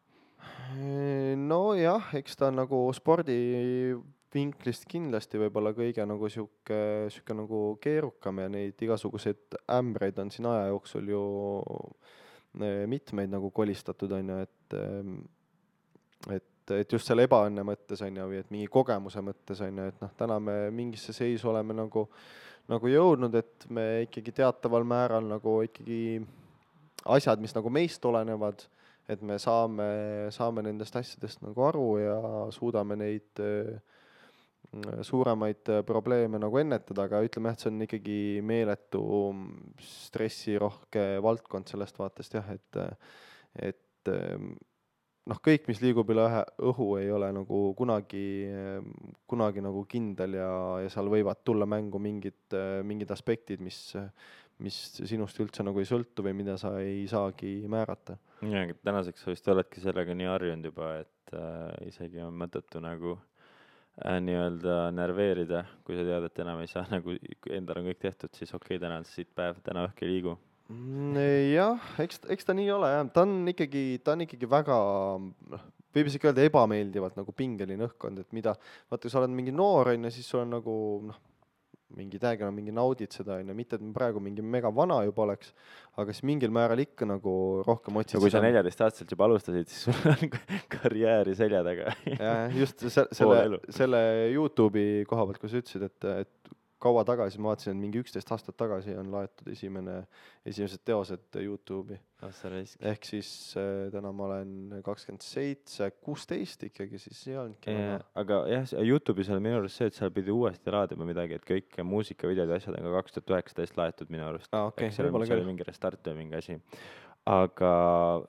No jah, eks ta nagu spordi vinklist kindlasti võib-olla kõige nagu siuke nagu keerukam ja neid igasuguseid ämbreid on siin aja jooksul ju mitmeid nagu kolistatud on ju, et just selle ebaõnne mõttes on ju, või et mingi kogemuse mõttes on ju, et täna me mingisse seisu oleme nagu jõudnud, et me ikkagi teataval määral nagu ikkagi asjad, mis nagu meist olenevad, et me saame nendest asjadest nagu aru ja suudame neid suuremaid probleeme nagu ennetada, aga ütleme, et see on ikkagi meeletu stressirohke valdkond sellest vaatest jah, et kõik, mis liigub üle õhu, ei ole nagu kunagi nagu kindel ja seal võivad tulla mängu mingid aspektid, mis sinust üldse nagu ei sõltu või mida sa ei saagi määrata. Ja, tänaseks sa vist oledki sellega nii harjunud juba, et isegi on mõttetu nagu nii-öelda nerveerida, kui sa tead, et enam ei saa, nagu endal on kõik tehtud, siis okei, täna on siit päev, täna õhk ei liigu. Jah, eks ta nii ole jah, ta on ikkagi väga, võib isegi öelda ebameeldivalt nagu pingeline õhkkond, et mida, vaata kui sa oled mingi noor on ja siis sul on nagu mingi täiega mingi naudid seda on ja mitte, et me praegu mingi mega vana juba oleks, aga siis mingil määral ikka nagu rohkem otsid. Ja kui sa 14-aastaselt juba alustasid, siis sul on karjääri selja taga. Ja just selle YouTube'i koha pealt, kui sa ütlesid, et kaua tagasi, ma vaatasin, et mingi 11 aastat tagasi on laetud esimesed teosed YouTube'i. Ehk siis täna ma olen 27, 16 ikkagi, siis ei olnudki aga jah, YouTube'is on minu arust see, et seal pidi uuesti laadima midagi, et kõik muusikavideod ja asjad on ka 2019 laetud minu arust. Okay, seal oli mingi restart või mingi asi. Aga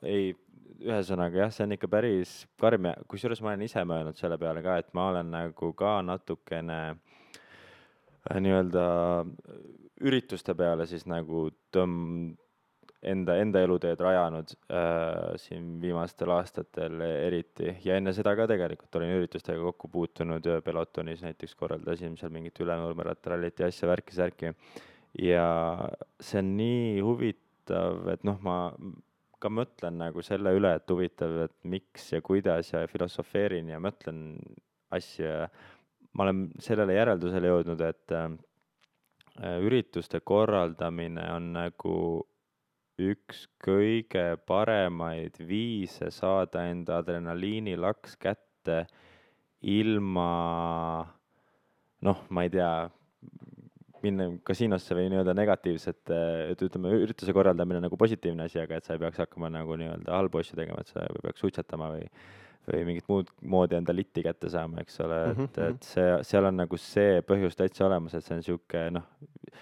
ei, ühesõnaga jah, see on ikka päris karm ja kusjuures ma olen ise mõelnud selle peale ka, et ma olen nagu ka natukene nii-öelda ürituste peale siis nagu enda eluteed rajanud siin viimastel aastatel eriti ja enne seda ka tegelikult olin üritustega kokku puutunud Pelotonis näiteks korraldasin seal mingit Ülenurme rattarallit ja asja värki ja see on nii huvitav, et noh, ma ka mõtlen nagu selle üle, et huvitav, et miks ja kuidas ja filosofeerin ja mõtlen asju ja ma olen sellele järeldusele jõudnud, et ürituste korraldamine on nagu üks kõige paremaid viise saada enda adrenaliinilaks kätte ilma, noh, ma ei tea, minna kasiinosse või nii-öelda negatiivset, et ütleme, ürituse korraldamine nagu positiivne asi, aga et sa ei peaks hakkama nagu nii-öelda halbu asju tegema, et sa peaks suitsetama või mingit muud moodi enda litti kätte saama, eks ole, et seal on nagu see põhjus täitsa olemas, et see on siuke, noh,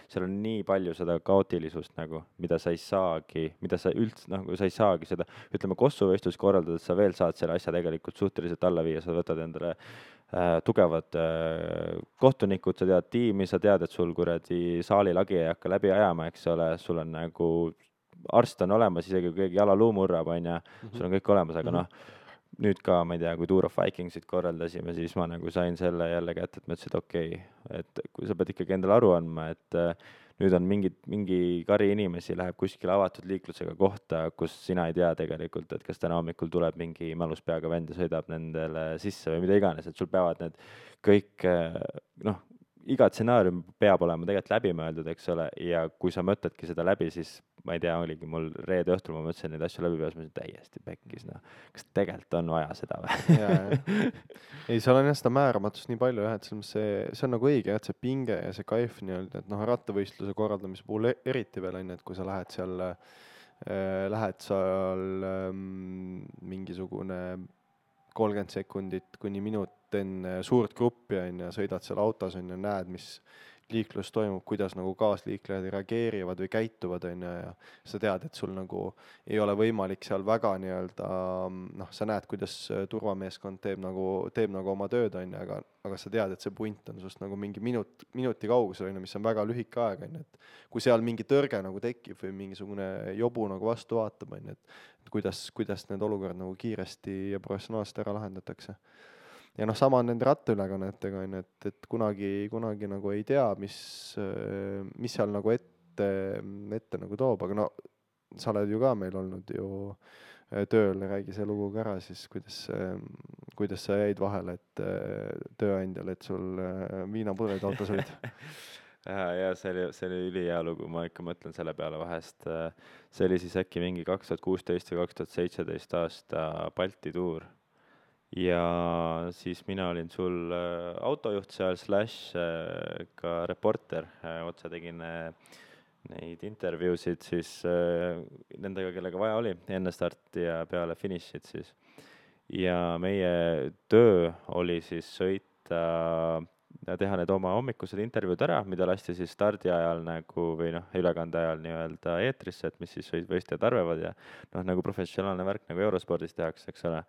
seal on nii palju seda kaootilisust nagu, mida sa ei saagi seda, ütleme, kossuvõistlus korraldades sa veel saad selle asja tegelikult suhteliselt alla viia, sa võtad endale tugevad kohtunikud, sa tead tiimi, sa tead, et sul kuradi saalilagi ei hakka läbi ajama, eks ole, sul on nagu arst on olemas, isegi kui keegi jalaluu murrab, on ja sul on kõik olemas, aga noh, nüüd ka, ma ei tea, kui Tour of Vikingsit korraldasime, siis ma nagu sain selle jälle kätte, et ma ütlesin, et okei, et kui sa pead ikkagi endale aru andma, et nüüd on mingi kari inimesi läheb kuskile avatud liiklusega kohta, kus sina ei tea tegelikult, et kas täna hommikul tuleb mingi mälus peaga vend ja sõidab nendele sisse või mida iganes, et sul peavad need kõik, noh, iga stsenaarium peab olema tegelikult läbi mõeldud, eks ole, ja kui sa mõtledki seda läbi, siis ma ei tea, oligi mul reede õhtul, ma mõtlesin neid asju läbi peas, ma olin täiesti pekkis, noh, kas tegelikult on vaja seda või? Ei, seal on jah seda määramatust nii palju jah, et see on nagu õige, et see pinge ja see kaif nii-öelda, et noh, rattavõistluse korraldamise puhul eriti veel on, et kui sa lähed seal mingisugune 30 sekundit kuni minut enne suurt gruppi on ja sõidad seal autos on ja näed, mis liiklus toimub, kuidas nagu kaasliiklejad reageerivad või käituvad on ja sa tead, et sul nagu ei ole võimalik seal väga nii-öelda, noh, sa näed, kuidas turvameeskond teeb nagu oma tööd on ja, aga sa tead, et see punt on sust nagu mingi minuti kaugusel on, mis on väga lühike aeg on, et kui seal mingi tõrge nagu tekib või mingisugune jobu nagu vastu vaatab on, et kuidas need olukorrad nagu kiiresti ja professionaalselt ära lahendatakse. Ja noh, sama on nende rattaülekannetega on, et kunagi nagu ei tea, mis seal nagu ette nagu toob, aga no sa oled ju ka meil olnud ju tööl, räägi see lugu ka ära siis, kuidas sa jäid vahele, et tööandjal, et sul viinapudeleid autos olid. Ja see oli ülihea lugu, ma ikka mõtlen selle peale vahest. See oli siis äkki mingi 2016 või 2017 aasta Balti tuur. Ja siis mina olin sul autojuht seal / ka reporter, otse tegin neid intervjuusid siis nendega, kellega vaja oli enne starti ja peale finišit siis. Ja meie töö oli siis sõita ja teha need oma hommikused intervjuud ära, mida lasti siis stardi ajal nagu või noh, ülekande ajal nii-öelda eetrisse, et mis siis võistlejad arvavad ja noh, nagu professionaalne värk nagu Eurospordis tehakse, eks ole.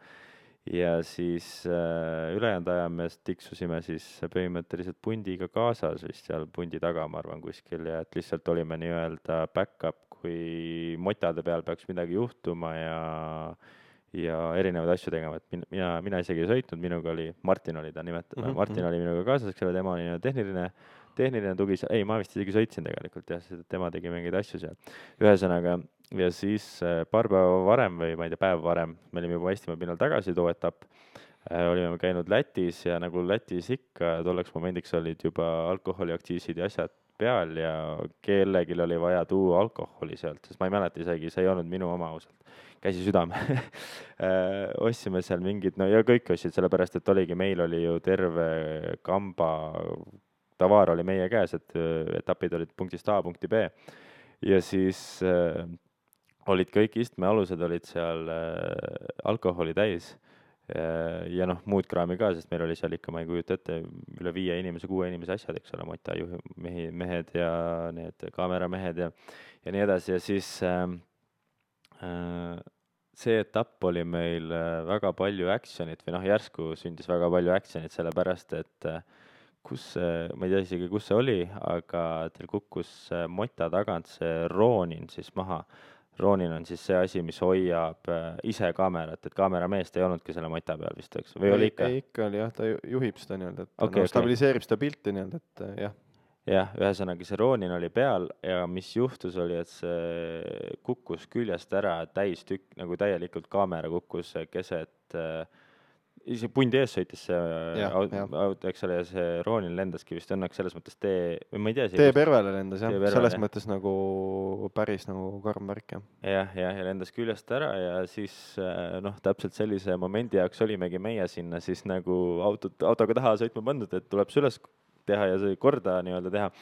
Ja siis ülejäänud aja me tiksusime siis põhimõtteliselt pundiga kaasas vist seal pundi taga, ma arvan, kuskil ja et lihtsalt olime nii-öelda back-up, kui motade peal peaks midagi juhtuma ja erinevaid asju tegema, et mina isegi ei sõitnud, minuga oli, Martin oli ta nimetatud, Martin oli minuga kaasas, eks ole, tema oli tehniline tugi, ei, ma vist isegi sõitsin tegelikult jah, tema tegi mingeid asju seal. Ühesõnaga, ja siis paar päeva varem või ma ei tea, päev varem, me olime juba Eestimaa pinnal tagasi too etapp, olime käinud Lätis ja nagu Lätis ikka tolleks momendiks olid juba alkoholiaktsiisid ja asjad peal ja kellelgi oli vaja tuua alkoholi sealt, sest ma ei mäleta isegi, see ei olnud minu oma ausalt. Käsi südame. Ostsime seal mingid, no ja kõik ostsid, sellepärast, et oligi, meil oli ju terve kamba tavaar oli meie käes, et etapid olid punktist A punkti B ja siis olid kõik istmealused olid seal alkoholi täis ja noh, muud kraami ka, sest meil oli seal ikka, ma ei kujuta ette, üle 5 inimese, 6 inimese asjad, eks ole, motajuhi mehed ja need kaameramehed ja nii edasi ja siis see etapp oli meil väga palju actionit või noh, järsku sündis väga palju actionit, sellepärast et ma ei tea isegi, kus see oli, aga teil kukkus mota tagant see roonin siis maha. Roonin on siis see asi, mis hoiab ise kaamerat, et kaamerameest ei olnudki selle mota peal vist, eks? Või oli ikka? Ei, ikka oli jah, ta juhib seda nii-öelda, et Okay. stabiliseerib seda pilti nii-öelda, et jah. Jah, ühesõnaga see roonin oli peal ja mis juhtus oli, et see kukkus küljest ära täistükk, nagu täielikult kaamera kukkus keset ise pundi ees sõitis see auto, eks ole, ja see roonin lendaski vist õnneks selles mõttes või ma ei tea. Tee pervele lendas jah, selles mõttes nagu päris nagu karm värk jah. Ja lendas küljest ära ja siis noh, täpselt sellise momendi jaoks olimegi meie sinna siis nagu autoga taha sõitma pandud, et tuleb süles teha ja see korda nii-öelda teha.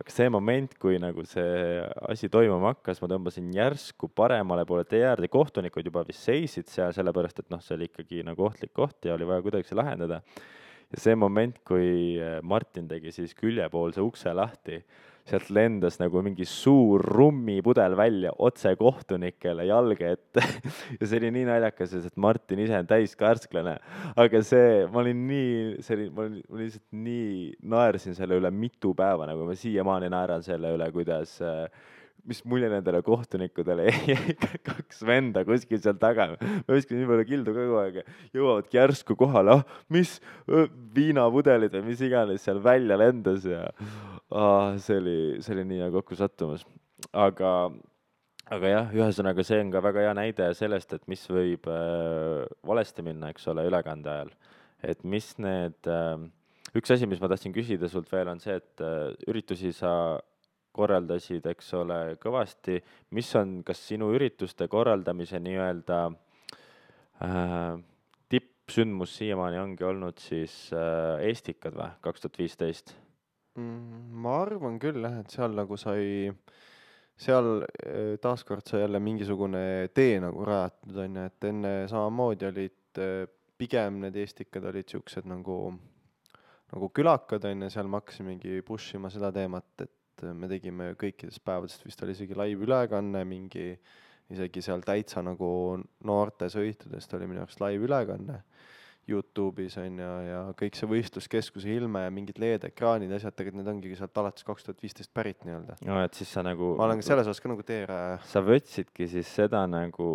Aga see moment, kui nagu see asi toimuma hakkas, ma tõmbasin järsku paremale poole tee äärde, kohtunikud juba vist seisid seal, sellepärast et noh, see oli ikkagi nagu ohtlik koht ja oli vaja kuidagi see lahendada. Ja see moment, kui Martin tegi siis küljepoolse ukse lahti, sealt lendas nagu mingi suur rummipudel välja otse kohtunikele jalge ette ja see oli nii naljakas, et Martin ise on täiskärsklane, aga ma lihtsalt nii naersin selle üle mitu päeva, nagu ma siiamaani naeran selle üle, kuidas mis mulje nendele kohtunikudele jäi 2 venda kuskil seal taga. Ma viskan nii palju kildu kogu aeg, jõuavadki järsku kohale, mis viinapudelid või mis iganes seal välja lendas ja see oli nii kokku sattumas. Aga jah, ühesõnaga see on ka väga hea näide sellest, et mis võib valesti minna, eks ole, ülekande ajal. Et mis üks asi, mis ma tahtsin küsida sult veel, on see, et üritusi sa korraldasid, eks ole, kõvasti. Mis on, kas sinu ürituste korraldamise nii-öelda tippsündmus siiamaani ongi olnud siis Estikad või 2015? Ma arvan küll jah, et seal nagu seal taaskord sai jälle mingisugune tee nagu rajatud, on ju, et enne samamoodi olid pigem need Estikad olid siuksed nagu külakad, on ju, seal me hakkasimegi push ima seda teemat, et me tegime kõikidest päevadest, vist oli isegi live ülekanne, isegi seal täitsa nagu noorte sõitudest oli minu jaoks live ülekanne YouTube'is on ja kõik see võistluskeskuse ilme ja mingid LED-ekraanid ja asjad, tegelikult need ongi sealt alates 2015 pärit nii-öelda. No, et siis sa nagu... Ma olen selles osas ka nagu teeraja. Sa võtsidki siis seda nagu,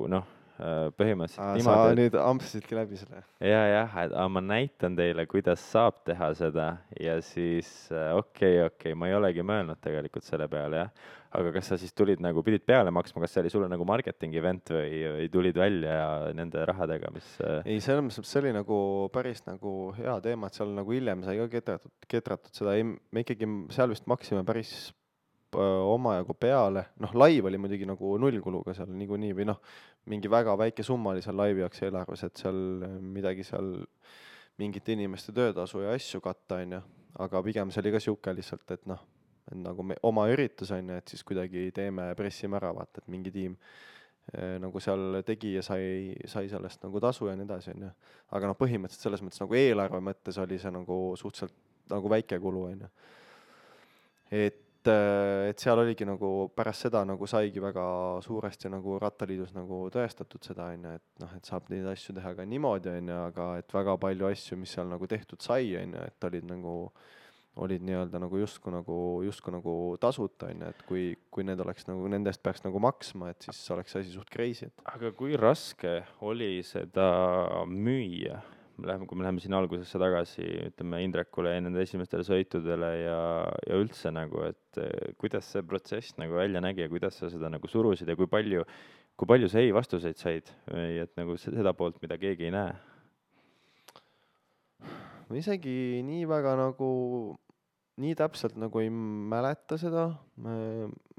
põhimõtteliselt niimoodi. Sa nüüd ampsisidki läbi selle. Jah, ma näitan teile, kuidas saab teha seda ja siis okei, ma ei olegi mõelnud tegelikult selle peale, jah. Aga kas sa siis pidid peale maksma, kas see oli sulle nagu marketing event või tulid välja nende rahadega, mis... Ei, see oli nagu päris nagu hea teema, et seal nagu hiljem sai ka ketratud seda, me ikkagi seal vist maksime päris omajagu peale, live oli muidugi nagu nullkuluga seal niikuinii või mingi väga väike summa oli seal laivi jaoks eelarves, et seal midagi seal mingite inimeste töötasu ja asju katta, on ju, aga pigem see oli ka siuke lihtsalt, et nagu oma üritus on ju, et siis kuidagi teeme, pressime ära, vaata, et mingi tiim nagu seal tegi ja sai sellest nagu tasu ja nii edasi, on ju. Aga põhimõtteliselt selles mõttes nagu eelarve mõttes oli see nagu suhteliselt nagu väike kulu, on ju. Et seal oligi nagu pärast seda nagu saigi väga suuresti nagu Rattaliidus nagu tõestatud seda, on ju, et saab neid asju teha ka niimoodi, on ju, aga et väga palju asju, mis seal nagu tehtud sai, on ju, et olid nii-öelda nagu justkui nagu tasuta, on ju, et kui need oleks nagu, nendest peaks nagu maksma, et siis oleks asi suht crazy. Aga kui raske oli seda müüa? Kui me läheme siin algusesse tagasi, ütleme Indrekule ja nende esimestele sõitudele ja üldse nagu, et kuidas see protsess nagu välja nägi ja kuidas sa seda nagu surusid ja kui palju sa vastuseid said või et nagu seda poolt, mida keegi ei näe? Ma isegi nii väga nagu nii täpselt nagu ei mäleta seda.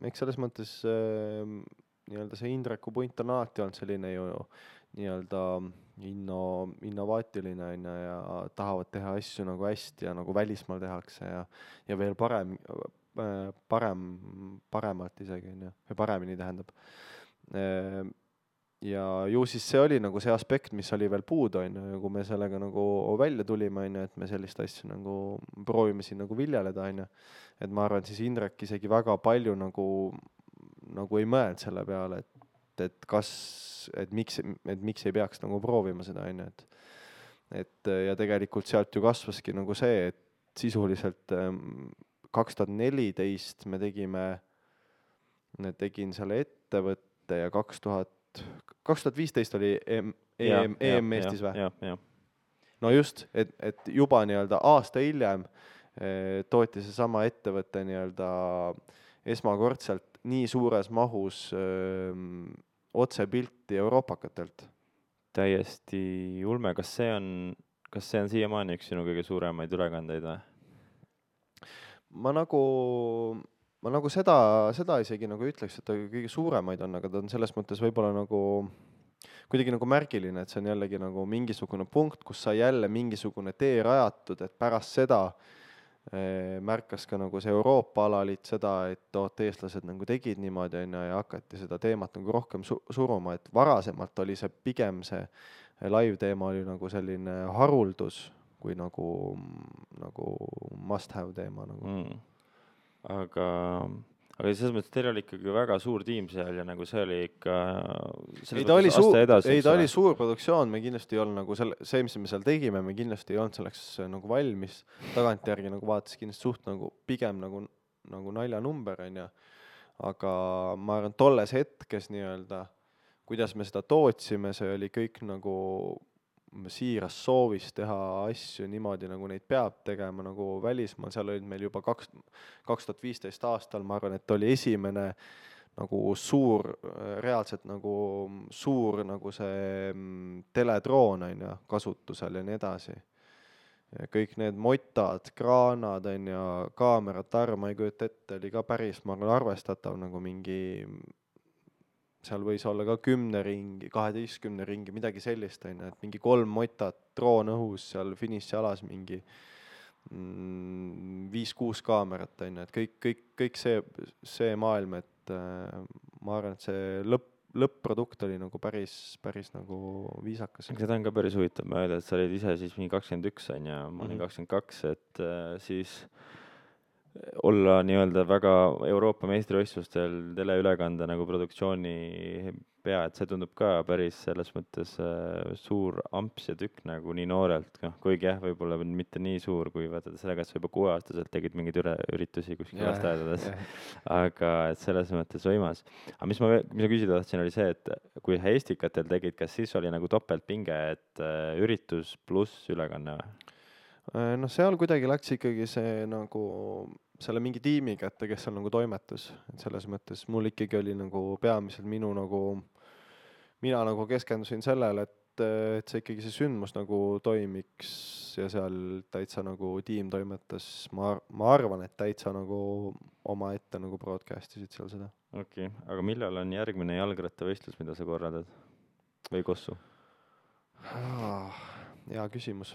Eks selles mõttes nii-öelda see Indreku punt on alati olnud selline ju nii-öelda innovaatiline on ju ja tahavad teha asju nagu hästi ja nagu välismaal tehakse ja veel paremalt isegi on ju, või paremini tähendab. Ja ju siis see oli nagu see aspekt, mis oli veel puudu on ju, ja kui me sellega nagu välja tulime on ju, et me sellist asja nagu proovime siin nagu viljeleda on ju, et ma arvan, et siis Indrek isegi väga palju nagu ei mõelnud selle peale, et miks ei peaks nagu proovima seda on ju, et ja tegelikult sealt ju kasvaski nagu see, et sisuliselt 2014 tegin selle ettevõtte ja 2015 oli EM Eestis või? No just, et juba nii-öelda aasta hiljem tooti seesama ettevõte nii-öelda esmakordselt nii suures mahus otsepilti euroopakatelt. Täiesti ulme, kas see on siiamaani üks sinu kõige suuremaid ülekandeid või? Ma nagu seda isegi nagu ütleks, et ta kõige suuremaid on, aga ta on selles mõttes võib-olla nagu kuidagi nagu märgiline, et see on jällegi nagu mingisugune punkt, kus sai jälle mingisugune tee rajatud, et pärast seda märkas ka nagu see Euroopa alaliit seda, et eestlased nagu tegid niimoodi ja hakati seda teemat nagu rohkem suruma, et varasemalt oli see pigem see live teema oli nagu selline haruldus kui nagu must have teema nagu. Aga selles mõttes teil oli ikkagi väga suur tiim seal ja nagu see oli ikka ta oli suur produktsioon, me kindlasti ei olnud nagu see, mis me seal tegime, me kindlasti ei olnud selleks nagu valmis, tagantjärgi nagu vaatas kindlasti suht nagu pigem nagu naljanumber on ju, aga ma arvan, tolles hetkes nii-öelda, kuidas me seda tootsime, see oli kõik nagu siiras soovis teha asju niimoodi, nagu neid peab tegema nagu välismaal, seal olid meil juba 2015 aastal, ma arvan, et oli esimene nagu reaalselt nagu suur nagu see teledroon on ju kasutusel ja nii edasi. Kõik need motad, kraanad on ju, kaamerad, ma ei kujuta ette, oli ka päris, ma arvan, arvestatav nagu mingi seal võis olla ka 10 ringi, 12 ringi, midagi sellist on ju, et mingi 3 motat, droon õhus seal finišialas mingi 5-6 kaamerat on ju, et kõik see maailm, et ma arvan, et see lõpp-produkt oli nagu päris nagu viisakas. Seda on ka päris huvitav mõelda, et sa olid ise siis mingi 21 on ja ma olin 22, et siis olla nii-öelda väga Euroopa meistrivõistlustel teleülekande nagu produktsiooni pea, et see tundub ka päris selles mõttes suur amps ja tükk nagu nii noorelt, kuigi jah, võib-olla mitte nii suur, kui vaatad sellega, et sa juba 6-aastaselt tegid mingeid üritusi kuskil lasteaedades, aga et selles mõttes võimas. Aga mis ma küsida tahtsin, oli see, et kui Estikatel tegid, kas siis oli nagu topeltpinge, et üritus pluss ülekanne või? No seal kuidagi läks ikkagi see nagu selle mingi tiimi kätte, kes seal nagu toimetus, et selles mõttes mul ikkagi oli nagu peamiselt mina nagu keskendusin sellele, et see ikkagi see sündmus nagu toimiks ja seal täitsa nagu tiim toimetas, ma arvan, et täitsa nagu oma ette nagu broadcastisid seal seda. Okei, aga millal on järgmine jalgrattavõistlus, mida sa korraldad või Kossu? Hea küsimus.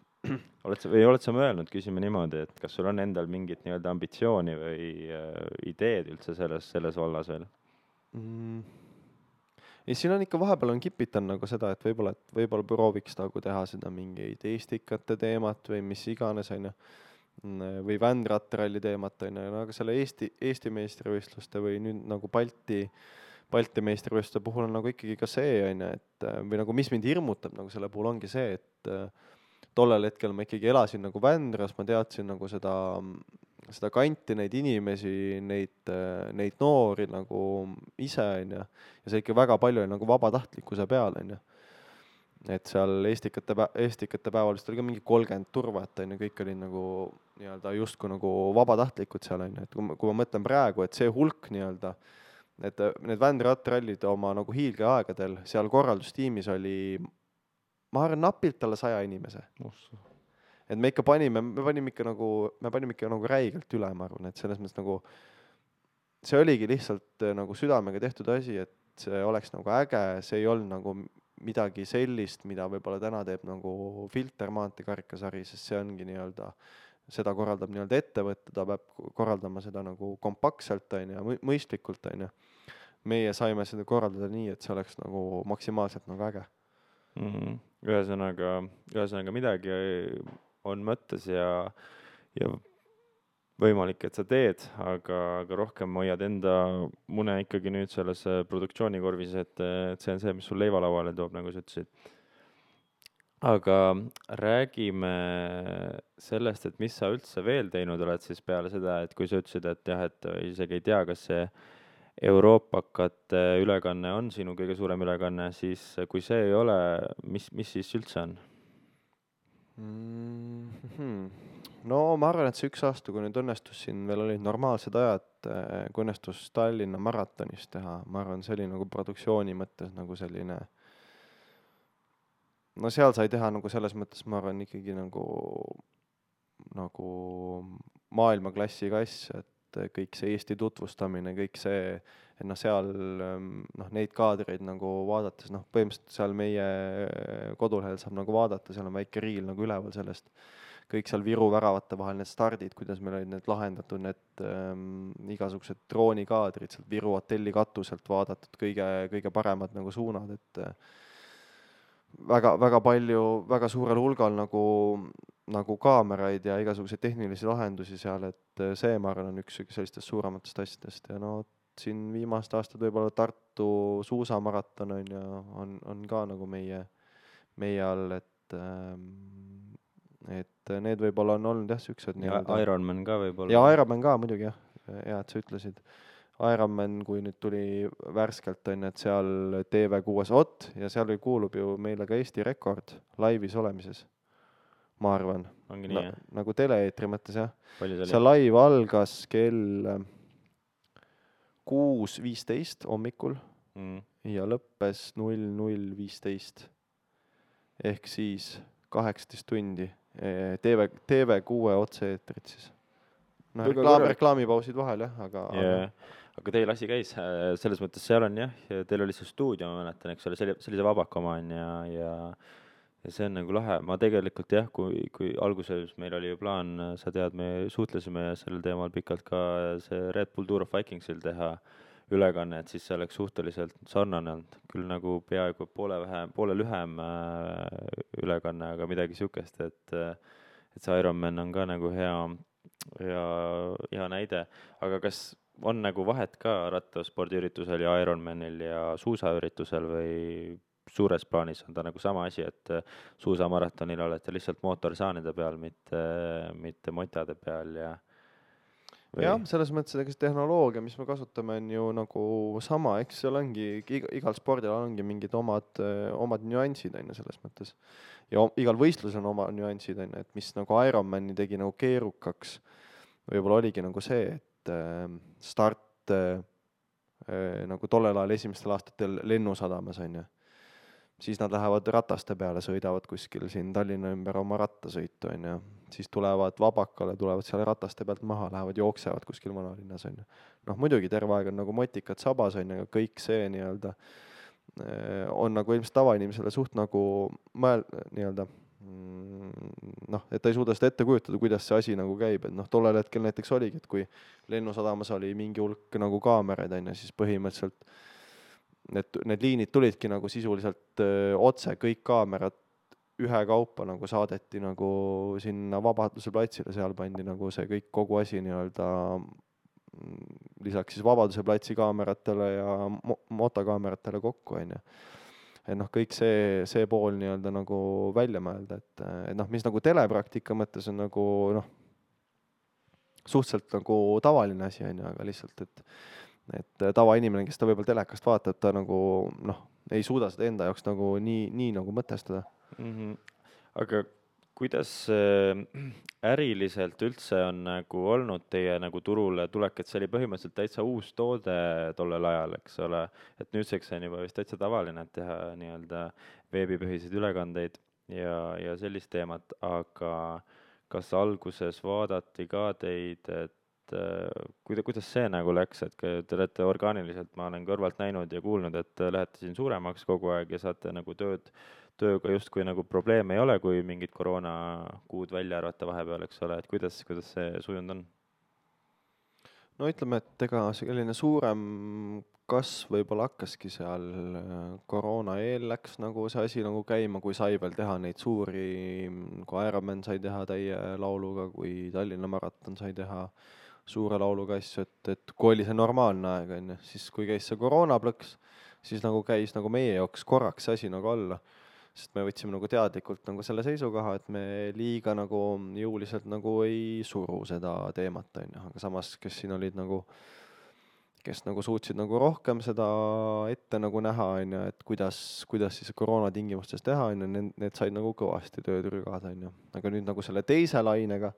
Oled sa mõelnud, küsime niimoodi, et kas sul on endal mingit nii-öelda ambitsiooni või ideed üldse selles vallas veel? Ja siin on ikka vahepeal on kipitan nagu seda, et võib-olla prooviks nagu teha seda mingeid Estikate teemat või mis iganes on ju, või Vändratralli teemat on ju, aga selle Eesti meistrivõistluste või nüüd nagu Balti meistrivõistluste puhul on nagu ikkagi ka see on ju, et või nagu mis mind hirmutab nagu selle puhul ongi see, et tollel hetkel ma ikkagi elasin nagu Vändras, ma teadsin nagu seda kanti, neid inimesi, neid noori nagu ise on ju, ja see ikka väga palju oli nagu vabatahtlikkuse peal on ju. Et seal Estikate päeval vist oli ka mingi 30 turvat on ju, kõik oli nagu nii-öelda justkui nagu vabatahtlikud seal on ju, et kui ma mõtlen praegu, et see hulk nii-öelda, et need Vändratrallid oma nagu hiilgeaegadel seal korraldustiimis oli, ma arvan, napilt alla 100 inimese. Et me panime ikka nagu räigelt üle, ma arvan, et selles mõttes nagu see oligi lihtsalt nagu südamega tehtud asi, et see oleks nagu äge, see ei olnud nagu midagi sellist, mida võib-olla täna teeb nagu Filter maanteekarikasari, sest see ongi nii-öelda, seda korraldab nii-öelda ettevõte, ta peab korraldama seda nagu kompaktselt, on ju, mõistlikult, on ju. Meie saime seda korraldada nii, et see oleks nagu maksimaalselt nagu äge. Ühesõnaga midagi on mõttes ja võimalik, et sa teed, aga rohkem hoiad enda mune ikkagi nüüd selles produktsioonikorvis, et see on see, mis sul leivalauale toob, nagu sa ütlesid. Aga räägime sellest, et mis sa üldse veel teinud oled siis peale seda, et kui sa ütlesid, et jah, et isegi ei tea, kas see Euroopakate ülekanne on sinu kõige suurem ülekanne, siis kui see ei ole, mis siis üldse on? No ma arvan, et see üks aasta, kui nüüd õnnestus siin veel olid normaalsed ajad, kui õnnestus Tallinna maratonis teha, ma arvan, see oli nagu produktsiooni mõttes nagu selline, no seal sai teha nagu selles mõttes, ma arvan, ikkagi nagu maailmaklassiga asja, et kõik see Eesti tutvustamine, kõik see, et seal neid kaadreid nagu vaadates, põhimõtteliselt seal meie kodulehel saab nagu vaadata, seal on väike riil nagu üleval sellest, kõik seal Viru väravate vahel need stardid, kuidas meil olid need lahendatud, need igasugused droonikaadrid sealt Viru hotelli katuselt vaadatud, kõige paremad nagu suunad, et väga palju, väga suurel hulgal nagu kaameraid ja igasuguseid tehnilisi lahendusi seal, et see, ma arvan, on üks sellistest suurematest asjadest ja siin viimast aastat võib-olla Tartu suusamaraton on ka nagu meie all, et need võib-olla on olnud jah, siuksed nii-öelda. Ironman ka võib-olla. Ja Ironman ka muidugi jah, et sa ütlesid. Ironman, kui nüüd tuli värskelt, et seal TV6 ja seal kuulub ju meile ka Eesti rekord laivis olemises, ma arvan. Ongi nii, jah? Nagu tele-eetri mõttes, jah. See laiv algas kell 6:15 hommikul ja lõppes 00:15. Ehk siis 18 tundi TV6 otse-eetrit siis. Reklaamipausid vahel, jah, aga teil asi käis, selles mõttes seal on jah, teil oli see stuudio, ma mäletan, eks ole, sellise vabakoma on ja see on nagu lahe. Ma tegelikult jah, kui alguses meil oli ju plaan, sa tead, me suhtlesime sellel teemal pikalt ka see Red Bull Tour of Vikingsil teha ülekanne, et siis see oleks suhteliselt sarnane olnud, küll nagu peaaegu poole lühem ülekanne, aga midagi sihukest, et see Ironman on ka nagu hea näide, aga kas on nagu vahet ka rattaspordiüritusel ja Ironmanil ja suusaüritusel või suures plaanis on ta nagu sama asi, et suusamaratonil olete lihtsalt mootorsaanide peal, mitte motade peal ja jah, selles mõttes, et tehnoloogia, mis me kasutame, on ju nagu sama, eks seal ongi, igal spordil ongi mingid omad nüansid, selles mõttes. Ja igal võistlusel on oma nüansid, et mis nagu Ironmani tegi nagu keerukaks, võib-olla oligi nagu see, et start nagu tollel ajal esimestel aastatel Lennusadamas, on ju. Siis nad lähevad rataste peale, sõidavad kuskil siin Tallinna ümber oma rattasõitu, on ju. Siis tulevad vabakale, tulevad seal rataste pealt maha, lähevad jooksevad kuskil vanalinnas, on ju. Muidugi terve aeg on nagu motikad sabas, on ju, kõik see nii-öelda on nagu ilmselt tavainimesele suht nagu nii-öelda et ta ei suuda seda ette kujutada, kuidas see asi nagu käib, et tollel hetkel näiteks oligi, et kui Lennusadamas oli mingi hulk nagu kaameraid, on ju, siis põhimõtteliselt need liinid tulidki nagu sisuliselt otse, kõik kaamerad ühekaupa nagu saadeti nagu sinna Vabaduse platsile, seal pandi nagu see kõik, kogu asi nii-öelda lisaks siis Vabaduse platsi kaameratele ja motokaameratele kokku, on ju. Et kõik see pool nii-öelda nagu välja mõelda, et mis nagu telepraktika mõttes on nagu suhteliselt nagu tavaline asi, on ju, aga lihtsalt, et tavainimene, kes ta võib-olla telekast vaatab, ta nagu ei suuda seda enda jaoks nagu nii nagu mõtestada. Aga kuidas äriliselt üldse on nagu olnud teie nagu turule tulek, et see oli põhimõtteliselt täitsa uus toode tollel ajal, eks ole, et nüüdseks on juba vist täitsa tavaline teha nii-öelda veebipõhiseid ülekandeid ja sellist teemat, aga kas alguses vaadati ka teid, et et kuidas see nagu läks, et te olete orgaaniliselt, ma olen kõrvalt näinud ja kuulnud, et lähete siin suuremaks kogu aeg ja saate nagu tööga justkui nagu probleeme ei ole, kui mingid koroonakuud välja arvata vahepeal, eks ole, et kuidas see sujunud on? no ütleme, et ega selline suurem kasv võib-olla hakkaski seal koroona eel läks nagu see asi nagu käima, kui sai veel teha neid suuri, kui Ironman sai teha täie lauluga, kui Tallinna maraton sai teha suure lauluga asju, et kui oli see normaalne aeg, on ju, siis kui käis see koroonaplõks, siis nagu käis nagu meie jaoks korraks see asi nagu alla. Sest me võtsime nagu teadlikult nagu selle seisukoha, et me liiga nagu jõuliselt nagu ei suru seda teemat, on ju, aga samas, kes siin olid nagu, kes nagu suutsid nagu rohkem seda ette nagu näha, on ju, et kuidas siis koroona tingimustes teha, on ju, need said nagu kõvasti tööd rügada, on ju. Aga nüüd nagu selle teise lainega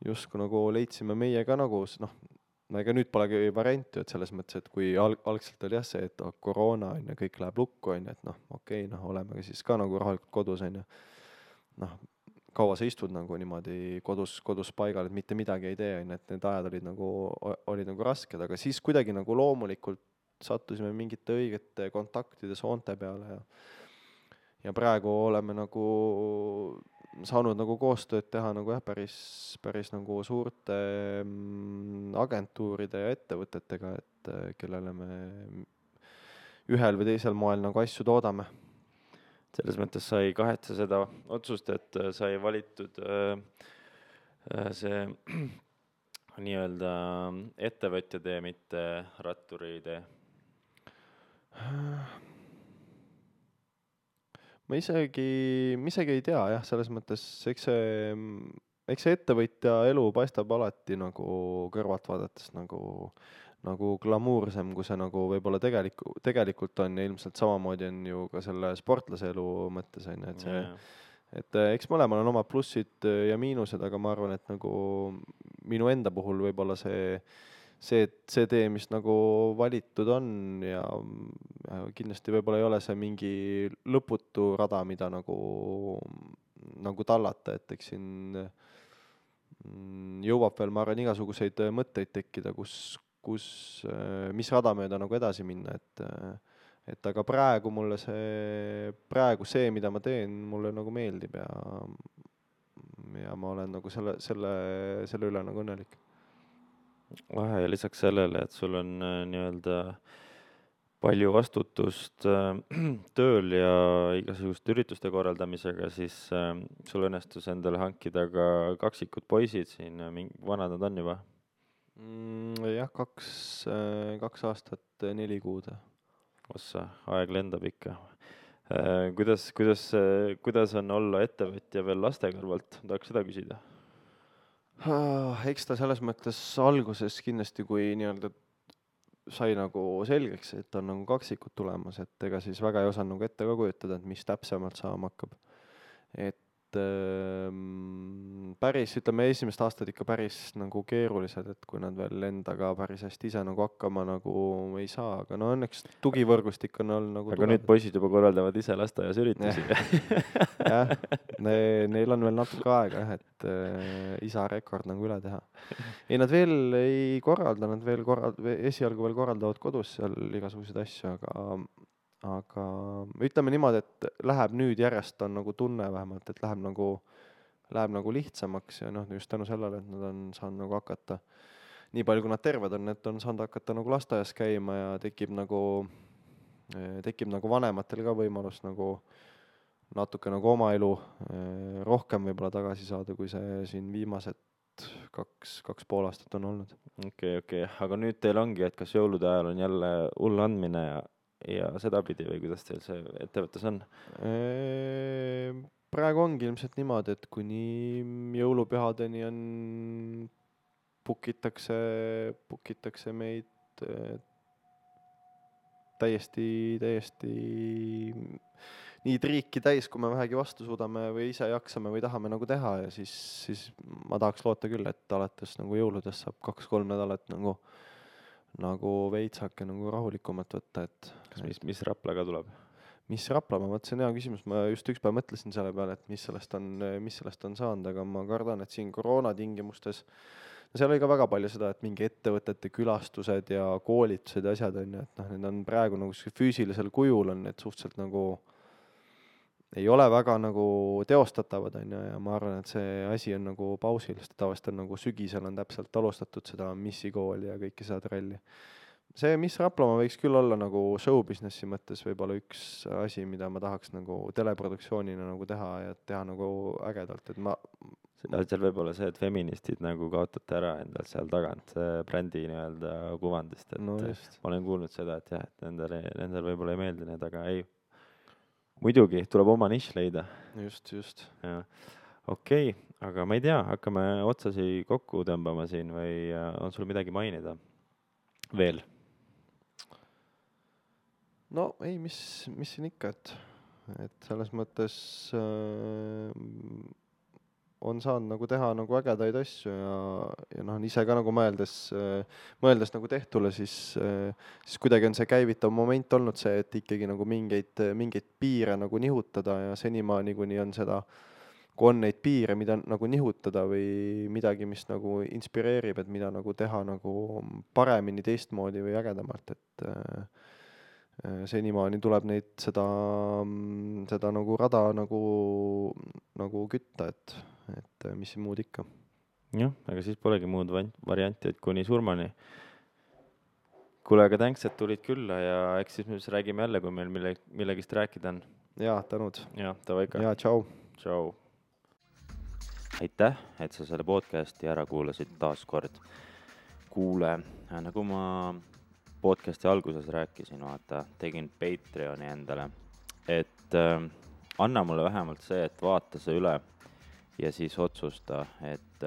justkui nagu leidsime meie ka nagu, noh, ega nüüd polegi varianti, et selles mõttes, et kui algselt oli jah see, et koroona on ju, kõik läheb lukku, on ju, et noh, okei, noh, olemegi siis ka nagu rahulikult kodus, on ju. Noh, kaua sa istud nagu niimoodi kodus paigal, et mitte midagi ei tee, on ju, et need ajad olid nagu rasked, aga siis kuidagi nagu loomulikult sattusime mingite õigete kontaktide soonte peale ja praegu oleme nagu saanud nagu koostööd teha nagu jah, päris nagu suurte agentuuride ja ettevõtetega, et kellele me ühel või teisel moel nagu asju toodame. Selles mõttes sai kahetsa seda otsust, et sai valitud see nii-öelda ettevõtja tee, mitte ratturi tee. Ma isegi ei tea jah, selles mõttes, eks see ettevõtja elu paistab alati nagu kõrvalt vaadates nagu glamuursem, kui see nagu võib-olla tegelikult on ja ilmselt samamoodi on ju ka selle sportlase elu mõttes, on ju, et see, et eks mõlemal on omad plussid ja miinused, aga ma arvan, et nagu minu enda puhul võib-olla see tee, mis nagu valitud on ja kindlasti võib-olla ei ole see mingi lõputu rada, mida nagu tallata, et eks siin jõuab veel, ma arvan, igasuguseid mõtteid tekkida, mis rada mööda nagu edasi minna, et aga praegu mulle see, mida ma teen, mulle nagu meeldib ja ma olen nagu selle üle nagu õnnelik. Ja lisaks sellele, et sul on nii-öelda palju vastutust tööl ja igasuguste ürituste korraldamisega, siis sul õnnestus endale hankida ka kaksikud poisid siin, vanad nad on juba? Jah, 2 aastat, 4 kuud. Ossa, aeg lendab ikka. Kuidas on olla ettevõtja veel laste kõrvalt? Tahaks seda küsida. Eks ta selles mõttes alguses kindlasti, kui nii-öelda sai nagu selgeks, et on nagu kaksikud tulemas, et ega siis väga ei osanud nagu ette ka kujutada, et mis täpsemalt saama hakkab. Et päris, ütleme, esimest aastat ikka päris nagu keerulised, et kui nad veel endaga päris hästi ise nagu hakkama nagu ei saa, aga no õnneks tugivõrgustik on olnud nagu aga nüüd poisid juba korraldavad ise lasteaias üritusi. jah, neil on veel natuke aega, et isa rekord nagu üle teha. Ei, nad veel ei korralda, esialgu veel korraldavad kodus seal igasuguseid asju, aga ütleme niimoodi, et läheb nüüd järjest on nagu tunne vähemalt, et läheb nagu lihtsamaks ja noh, just tänu sellele, et nad on saanud nagu hakata, nii palju kui nad terved on, et on saanud hakata nagu lasteaias käima ja tekib nagu vanematel ka võimalus nagu natuke nagu oma elu rohkem võib-olla tagasi saada, kui see siin viimased 2,5 aastat on olnud. Okei, aga nüüd teil ongi, et kas jõulude ajal on jälle hull andmine ja sedapidi või kuidas teil see ettevõttes on? Praegu ongi ilmselt niimoodi, et kuni jõulupühadeni book-itakse meid täiesti nii triiki täis, kui me vähegi vastu suudame või ise jaksame või tahame nagu teha ja siis ma tahaks loota küll, et alates nagu jõuludest saab 2-3 nädalat nagu veitsake nagu rahulikumat võtta, et mis Raplaga tuleb? mis Raplamaa, vot see on hea küsimus, ma just üks päev mõtlesin selle peale, et mis sellest on saanud, aga ma kardan, et siin koroona tingimustes, seal oli ka väga palju seda, et mingi ettevõtete külastused ja koolitused ja asjad on ju, et noh, need on praegu nagu füüsilisel kujul on need suhteliselt nagu ei ole väga nagu teostatavad on ju, ja ma arvan, et see asi on nagu pausil, sest tavaliselt on nagu sügisel on täpselt alustatud seda missikooli ja kõike seda tralli. See, mis Raplamaa võiks küll olla nagu show businessi mõttes võib-olla üks asi, mida ma tahaks nagu teleproduktsioonina nagu teha ja teha nagu ägedalt, et seal võib olla see, et feministid nagu kaotate ära endal seal tagant brändi nii-öelda kuvandist, et no just. ma olen kuulnud seda, et jah, et nendel võib-olla ei meeldi need, aga ei, muidugi tuleb oma nišš leida. Just. Okei, aga ma ei tea, hakkame otsasi kokku tõmbama siin või on sul midagi mainida veel? No ei, mis siin ikka, et selles mõttes on saanud nagu teha nagu ägedaid asju ja noh, ise ka nagu mõeldes nagu tehtule, siis kuidagi on see käivitav moment olnud see, et ikkagi nagu mingeid piire nagu nihutada ja senimaani kuni on seda, kui on neid piire, mida nagu nihutada või midagi, mis nagu inspireerib, et mida nagu teha nagu paremini, teistmoodi või ägedamalt, et senimaani tuleb seda nagu rada nagu kütta, et mis muud ikka. Jah, aga siis polegi muud varianti, et kuni surmani. Kuule, aga thanks, et tulid külla ja eks siis me räägime jälle, kui meil millegist rääkida on. Jaa, tänud. Jaa, tava ikka. Jaa, tšau. Tšau. Aitäh, et sa selle podcasti ära kuulasid taas kord. Kuule, nagu ma podcasti alguses rääkisin, vaata, tegin Patreoni endale, et anna mulle vähemalt see, et vaata see üle ja siis otsusta, et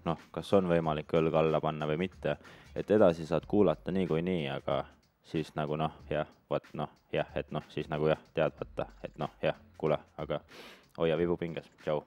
noh, kas on võimalik õlg alla panna või mitte, et edasi saad kuulata nii, aga siis nagu noh, jah, et noh, siis nagu jah, tead võtta, et noh, jah, kuule, aga hoia vibu pinges, tšau.